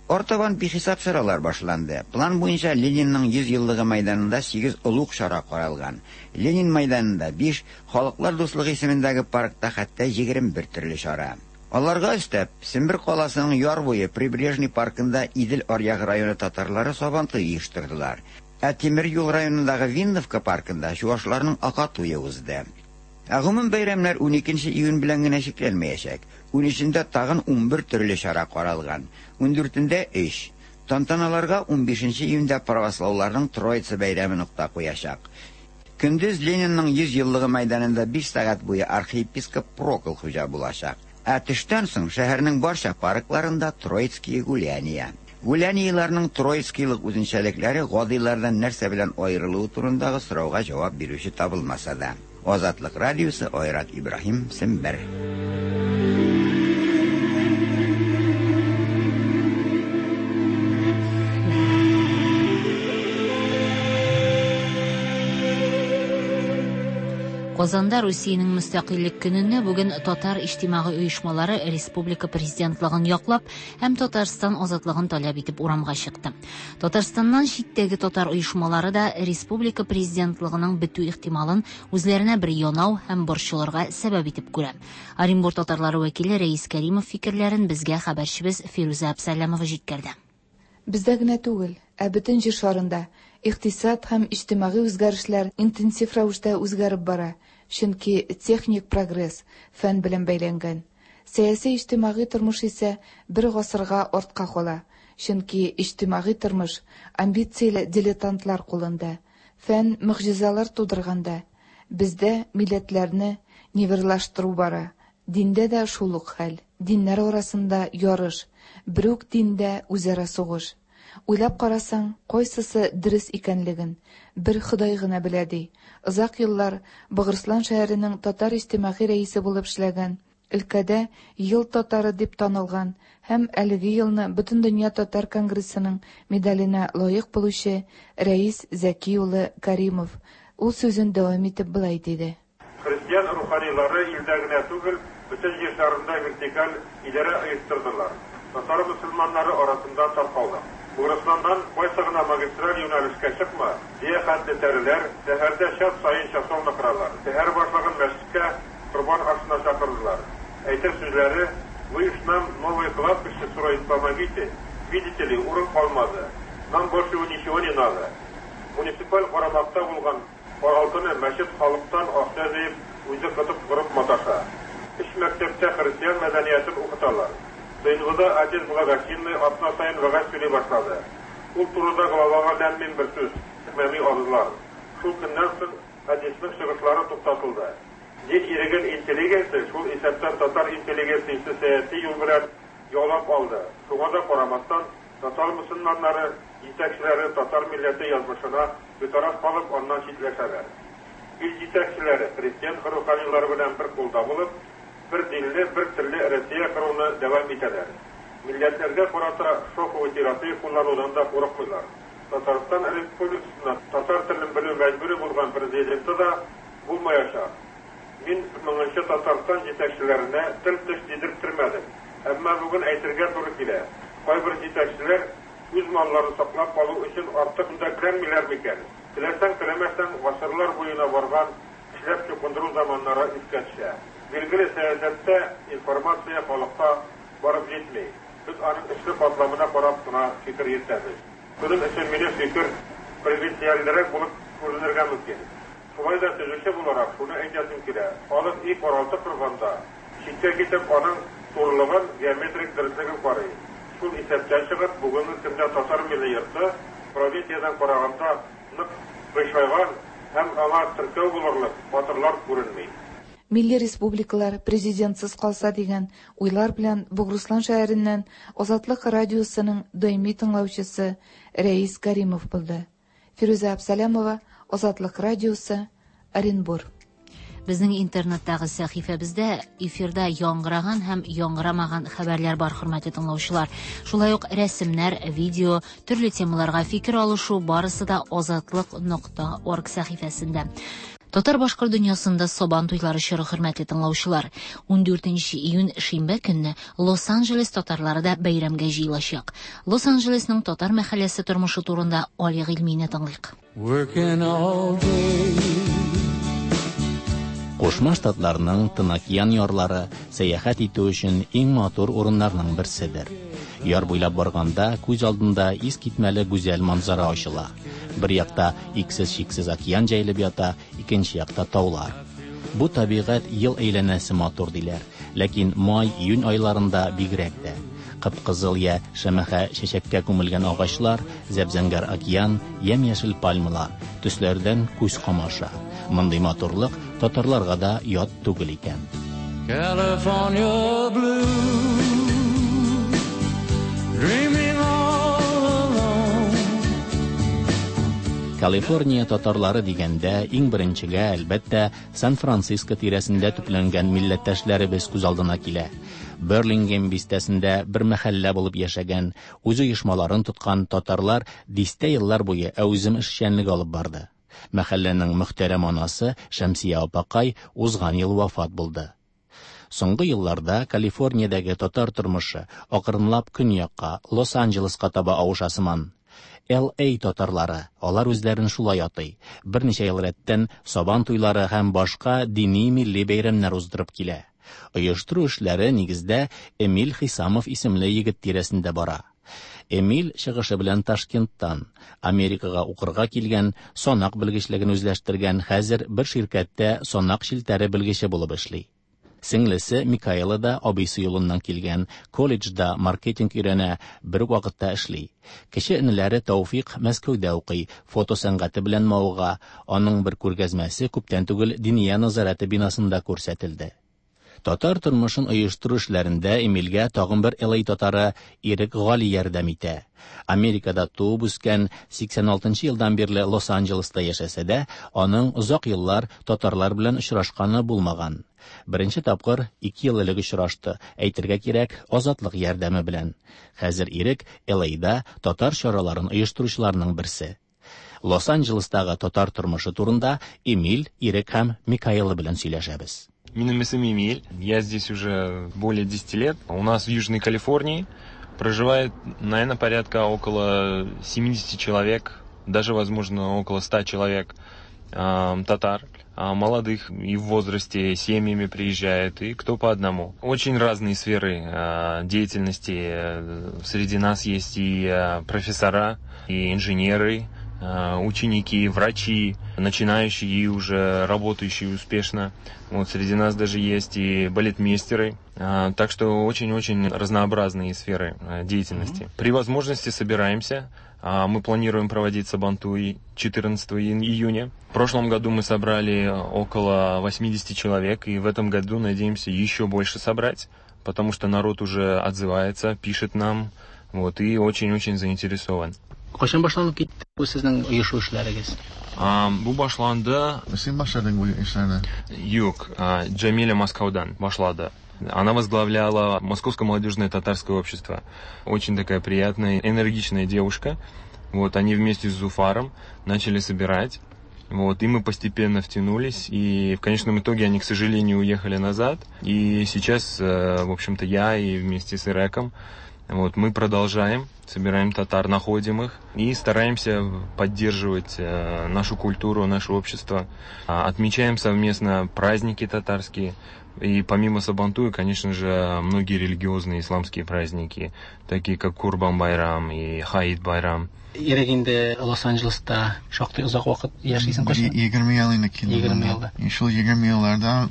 [SPEAKER 16] Артабан бихисап чаралар башланды. План буенча Ленинның 100 еллыгы мәйданында сигез олуг чара каралган. Ленин мәйданында, биш, Халыклар дуслыгы исемендәге паркта хәтта 21 төрле чара. Аларга өстәп, Сембер каласының яр буе Прибрежный паркында Идел аръягы районы татарлары Сабантуй оештырдылар. Ә тимер юл районындагы Винновка паркында чуашларның Акатуе узды. Ә гомум бәйрәмнәр уникенче июнь белән генә чикләнмәячәк. Унөчендә тагын 11 төрле чара каралган. Ундүртендә, өч. Тантаналарга унбишенче июньдә правослауларның Троица бәйрәме нокта куячак. Көндез Ленинның 100 еллыгы мәйданында биш сәгать буе архиепископ Прокл хуҗа булачак. Ә төштән соң шәһәрнең барча паркларында Троицкие гуляния. Гуляниеләрнең троицкийлык үзенчәлекләре гадыйлардан нәрсә белән аерылуы турындагы сорауга җавап бирүче табылмаса да. Азатлык радиосы, Айрат Ибраһим, Сембер.
[SPEAKER 2] Казанда Русиянең мөстәкыйльлек көнендә бүген татар иҗтимагый оешмалары республика президентлыгын яклап һәм Татарстан азатлыгын таләп итеп урамга чыкты. Татарстаннан читтәге татар оешмалары да республика президентлыгының бетү ихтималын үзләренә бер янау һәм борчылырга сәбәп итеп күрә. Оренбур татарлары вәкиле Рәис Кәримов фикерләрен безгә хәбәрчебез Фирүзә Абсалямова җиткерде.
[SPEAKER 5] Бездә генә түгел, ә бөтен Җир шарында икътисад һәм иҗтимагый үзгәрешләр интенсив рәвештә үзгәреп бара, чөнки техник прогресс фән белән бәйләнгән. Сәяси-иҗтимагый тормыш исә бер гасырга артка кала, чөнки иҗтимагый тормыш амбицияле дилетантлар кулында. Фән могҗизалар тудырганда, бездә милләтләрне нивелирлаштыру бара. Диндә дә шул ук хәл. Диннәр арасында ярыш, берүк диндә үзара сугыш. Уйлап карасаң, кайсысы дөрес икәнлеген бер Ходай гына белә, ди озак еллар Богырыслан шәһәренең татар иҗтимагый рәисе булып эшләгән, өлкәдә Ел татары дип танылган һәм әлеге елны Бөтендөнья татар конгрессының медаленә лаек булучы Рәис Зәки улы Кәримов. Ул сүзен дәвам итеп болай диде.
[SPEAKER 35] Христиан руханилары илдә генә түгел, бөтен Җир шарында вертикаль идарә оештырдылар. Татар мөселманнары арасында таркалдык. Бугрысланнан кайсы гына магистраль юнәлешкә чыкма, дөя хәтле тәреләр, шәһәрдә час саен часовня коралар. Шәһәр башлыгын мәчеткә корбан ашына чакырдылар. Әйтер сүзләре, Вы уж нам новое кладбище строить помогите, видите ли, урын калмады. Нам больше ничего не надо. Муниципаль карамакта булган каралтыны мәчет халыктан акча җыеп, үзе кытып корып маташа. Өч мәктәптә христиан мәдәниятен укыталар. Сыйнвыда отец благочинный атна саен вәгазь сөйли башлады. Ул турыда главага ләм-мим бер сүз әйтмәми абзылар. Шул көннән соң отецның чыгышлары туктатылды. Дин иреген интеллигенция, шул исәптән татар интеллигенциясе сәяси юл белән яулап алды. Шуңа да карамастан, татар мөселманнары җитәкчеләре татар милләте язмышына битараф калып, аннан читләшәләр. Ил җитәкчеләре христиан руханилары белән бер кулда булып, бер динле, бер телле Россия коруны дәвам итәләр. Милләтләргә карата шоковый терапия кулланудан да курыкмыйлар. Татарстан Республикасында татар телен белү мәҗбүри булган президенты да булмаячак. Мин моңынчы Татарстан җитәкчеләренә тел-теш тидерттермәдем. Әмма бүген әйтергә туры килә, кайбер җитәкчеләр үз малларын саклап калу өчен артык көндәкләнмиләр микән? Теләсәң-теләмәсәң, гасырлар буена барган көчләп чукындыру заманнары искә төшә. Билгеле, сәясәттә информация халыкка барып җитми. Без аның өске катламына карап кына фикер йөртәбез. Шуның өчен минем фикер провинциальрәк булып күренергә мөмкин. Шулай да төзүче буларак шуны әйтәсем килә, халык өй-каралты корганда, читкә китеп, аның турылыгын, геометрик дөреслеген карый. Шул исәптән чыгып, бүгенге көндә татар милли йорты провинциядән караганда нык кыйшайган һәм аңа теркәү булырлык батырлар күренми.
[SPEAKER 5] Милли республикалар президентсыз калса дигән уйлар белән Бугруслан шәһәреннән Азатлык радиосының даими тыңлаучысы Рәис Кәримов булды. Фирүзә Абсалямова, Азатлык радиосы, Оренбур.
[SPEAKER 2] Безнең интернеттагы сәхифәбездә эфирда яңгыраган һәм яңгырамаган хәбәрләр бар, хөрмәтле тыңлаучылар. Шулай ук рәсемнәр, видео, төрле темаларга фикер алышу барысы да азатлык.орг сәхифәсендә. Татар-башкорт дөньясында Сабан туйлары чоры, хөрмәтле тыңлаучылар. 14 июнь шимбә көнне Лос-Анджелес татарлары да бәйрәмгә җыелачак. Лос-Анджелесның татар мәхәлләсе тормышы турында Али Гыйльмине тыңлыйк.
[SPEAKER 4] Кушма Штатларның Тын океан ярлары сәяхәт итү өчен иң матур урыннарның берседер. Яр буйлап барганда күз алдында искитмәле гүзәл манзара ачыла. Бер якта иксез-чиксез океан җәелеп ята, икенче якта таулар. Бу табигать ел әйләнәсе матур диләр, ләкин май-июнь айларында бигрәк тә. Кып-кызыл я шәмәхә чәчәккә күмелгән агачлар, зәп-зәңгәр океан, ямь-яшел пальмалар, төсләрдән күз камаша. Мондый матурлык татарларга да ят түгел икән.
[SPEAKER 10] California blue, dreaming all alone.
[SPEAKER 4] Калифорния татарлары дигәндә, иң беренчегә, әлбәттә, Сан-Франциско тирәсендә төпләнгән милләттәшләребез күз алдына килә. Берлингем бистәсендә бер мәхәллә булып яшәгән, үз оешмаларын тоткан татарлар дистә еллар буе әүзем эшчәнлек алып барды. Мәхәлләнең мөхтәрәм анасы Шәмсия апакай узган ел вафат булды. Соңгы елларда Калифорниядәге татар тормышы акрынлап көньякка, Лос-Анджелеска таба авыша сыман. LA татарлары, алар үзләрен шулай атый, берничә ел рәттән Сабан туйлары һәм башка дини милли бәйрәмнәр уздырып килә. Оештыру эшләре нигездә Эмиль Хисамов исемле егет тирәсендә бара. Эмиль чыгышы белән Ташкенттан, Америкага укырга килгән, санак белгечлеген үзләштергән, хәзер бер ширкәттә санак челтәре белгече булып эшли. Сеңлесе Микаэла да абыйсы юлыннан килгән, колледжда маркетинг өйрәнә, бер үк вакытта эшли. Кече энеләре Тәүфик Мәскәүдә укый, фото сәнгате белән мавыга, аның бер күргәзмәсе күптән түгел Диния нәзарәте бинасында күрсәтелде. Татар тормышын оештыру эшләрендә Эмильгә тагын бер LA татары Ирек Гали ярдәм итә. Америкада туып үскән, 86 елдан бирле Лос-Анджелеста яшәсә дә, аның озак еллар татарлар белән очрашканы булмаган. Беренче тапкыр 2 ел элек очрашты, әйтергә кирәк, Азатлык ярдәме белән. Хәзер Ирек LA-да татар чараларын оештыручыларның берсе. Лос-Анджелестагы татар тормышы турында Эмиль, Ирек һәм Микаэла белән сөйләшәбез.
[SPEAKER 12] Минем исемем Эмиль. Я здесь уже более 10 лет. У нас в Южной Калифорнии Проживает, наверное, порядка около 70 человек, даже, возможно, около 100 человек татар, молодых и в возрасте, семьями приезжают, и кто по одному. Очень разные сферы деятельности. Среди нас есть и профессора, и инженеры, ученики, врачи, начинающие и уже работающие успешно. Вот среди нас даже есть и балетмейстеры. Так что очень-очень разнообразные сферы деятельности. При возможности собираемся. Мы планируем проводить Сабантуй 14 июня. В прошлом году мы собрали около 80 человек, и в этом году надеемся еще больше собрать, потому что народ уже отзывается, пишет нам, вот, и очень-очень заинтересован.
[SPEAKER 4] Кайчан башланып китте бу сезнең оешу эшләрегез?
[SPEAKER 12] Бу башланды...
[SPEAKER 17] Син башладың бу эшләрне?
[SPEAKER 12] Юк, Джамиля Москвадан башлады. Она возглавляла Московское молодежное татарское общество. Очень такая приятная, энергичная девушка. Вот, они вместе с Зуфаром начали собирать. Вот, и мы постепенно втянулись. И в конечном итоге они, к сожалению, уехали назад. И сейчас, в общем-то, я и вместе с Иреком, вот, мы продолжаем, собираем татар, находим их и стараемся поддерживать нашу культуру, наше общество. Отмечаем совместно праздники татарские. И помимо Сабантуя, конечно же, многие религиозные исламские праздники, такие как Курбан-Байрам и Хаид-Байрам.
[SPEAKER 4] Ирек инде Лос-Анджелеста шактый озак вакыт яшисең кайчан?
[SPEAKER 17] 20 ел инде килдем.
[SPEAKER 4] 20 елда.
[SPEAKER 17] Шул 20 елларда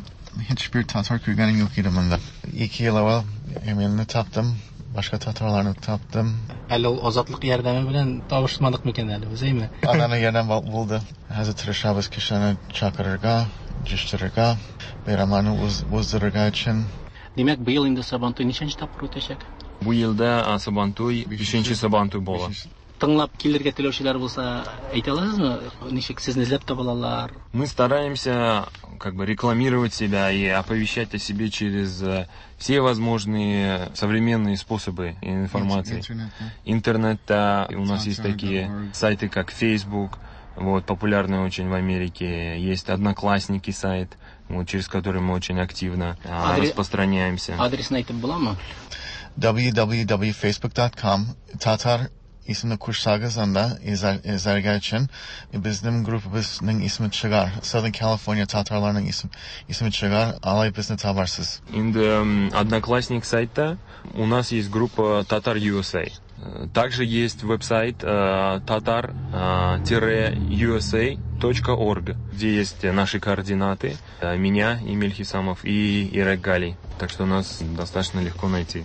[SPEAKER 17] һичбер татар күргәнем юк иде монда. 2 ел әүвәл Эмильне таптым, башка татарларны таптым.
[SPEAKER 4] Әле ул Азатлык ярдәме белән табышмадык микән әле без, әйме?
[SPEAKER 17] Ананы ярдәм булды. Хәзер тырышабыз кешеләрне чакырырга, җыештырырга, бәйрәмнәрне уздырырга өчен.
[SPEAKER 4] Димәк, быел инде Сабантуй ничәнче тапкыр үтәчәк?
[SPEAKER 12] Бу елда Сабантуй, бишенче Сабантуй була.
[SPEAKER 4] Тыңлап килергә теләүчеләр булса, әйтә аласызмы? Ничек сезне эзләп таба алалар?
[SPEAKER 12] Мы стараемся как бы рекламировать себя и оповещать о себе через все возможные современные способы информации. Интернета. У нас есть такие сайты, как Facebook, вот, популярный очень в Америке. Есть Одноклассники сайт, вот, через который мы очень активно распространяемся.
[SPEAKER 4] Адресын әйтеп буламы?
[SPEAKER 17] www.facebook.com Tatar исемне кушсагыз анда эзләргә өчен безнең группабызның исеме чыгар. Southern California татарларының исеме чыгар, алай безне табарсыз.
[SPEAKER 12] Инде Одноклассник сайтта у нас есть группа Tatar USA. Также есть веб-сайт tatar-usa.org, где есть наши координаты, меня, Эмиль Хисамов и Ирек Гали. Так что нас достаточно легко найти.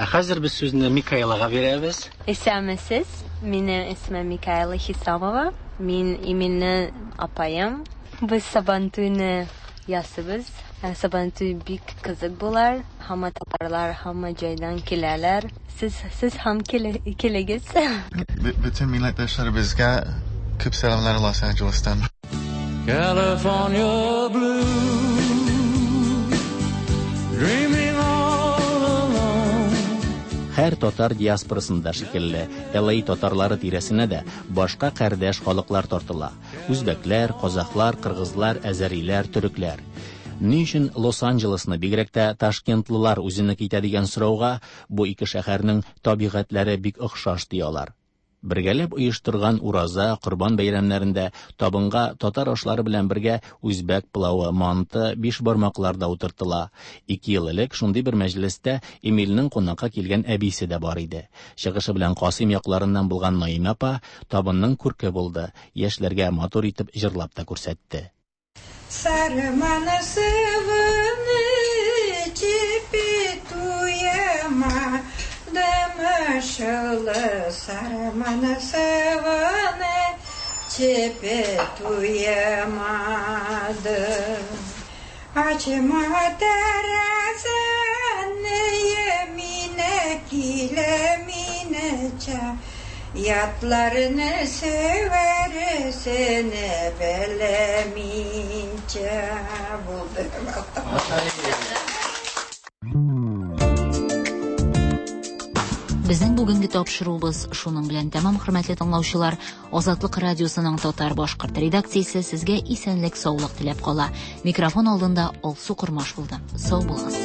[SPEAKER 4] Ә хәзер без сүзне Микаэлага бирәбез.
[SPEAKER 18] Исәнмесез, минем исемем Микаэла Хисамова. Мин Эмильнең апаем. Без Сабантуйны ясыйбыз. Сабантуй бик кызык булар. Һәммә татарлар һәммә җайдан киләләр. Сез, сез һәм килегез.
[SPEAKER 17] Бөтен милләттәшләребезгә күп сәламнәр Лос-Анджелестан.
[SPEAKER 10] California blue, dreaming all alone.
[SPEAKER 4] Һәр татар диаспорасында шикелле, LA татарлары тирәсенә дә башка кардәш халыклар тартыла. Үзбәкләр, казахлар, кыргызлар, әзәриләр, төрекләр. Ни өчен Лос-Анджелесны бигрәк тә ташкентлылар үзенеке итә дигән сорауга бу ике шәһәрнең табигатьләре бик охшаш ди алар. Бергәләп оештырган Ураза, Корбан бәйрәмнәрендә табынга татар ашлары белән бергә үзбәк пылавы, манты, бишбармаклар да утыртыла. 2 ел элек шундый бер мәҗлестә Эмильнең кунакка килгән әбисе дә бар иде. Чыгышы белән Касыйм якларыннан булган Наимә апа табынның күрке булды, яшьләргә матур итеп җырлап та күрсәтте.
[SPEAKER 19] Сарманы сывыны чепетуема, дымышылы сарманы сывыны чепетуемады. Ачма тәрәзәне емине килеминечә, ятларны севәрсене белеминчә булды.
[SPEAKER 2] Безнең бүгенге тапшыруыбыз шуның белән тәмам, хөрмәтле тыңлаучылар. Азатлык радиосының татар башкорт редакциясе сезгә исәнлек, саулык теләп кала. Микрофон алдында Алсу Кормаш булды. Сау булыгыз.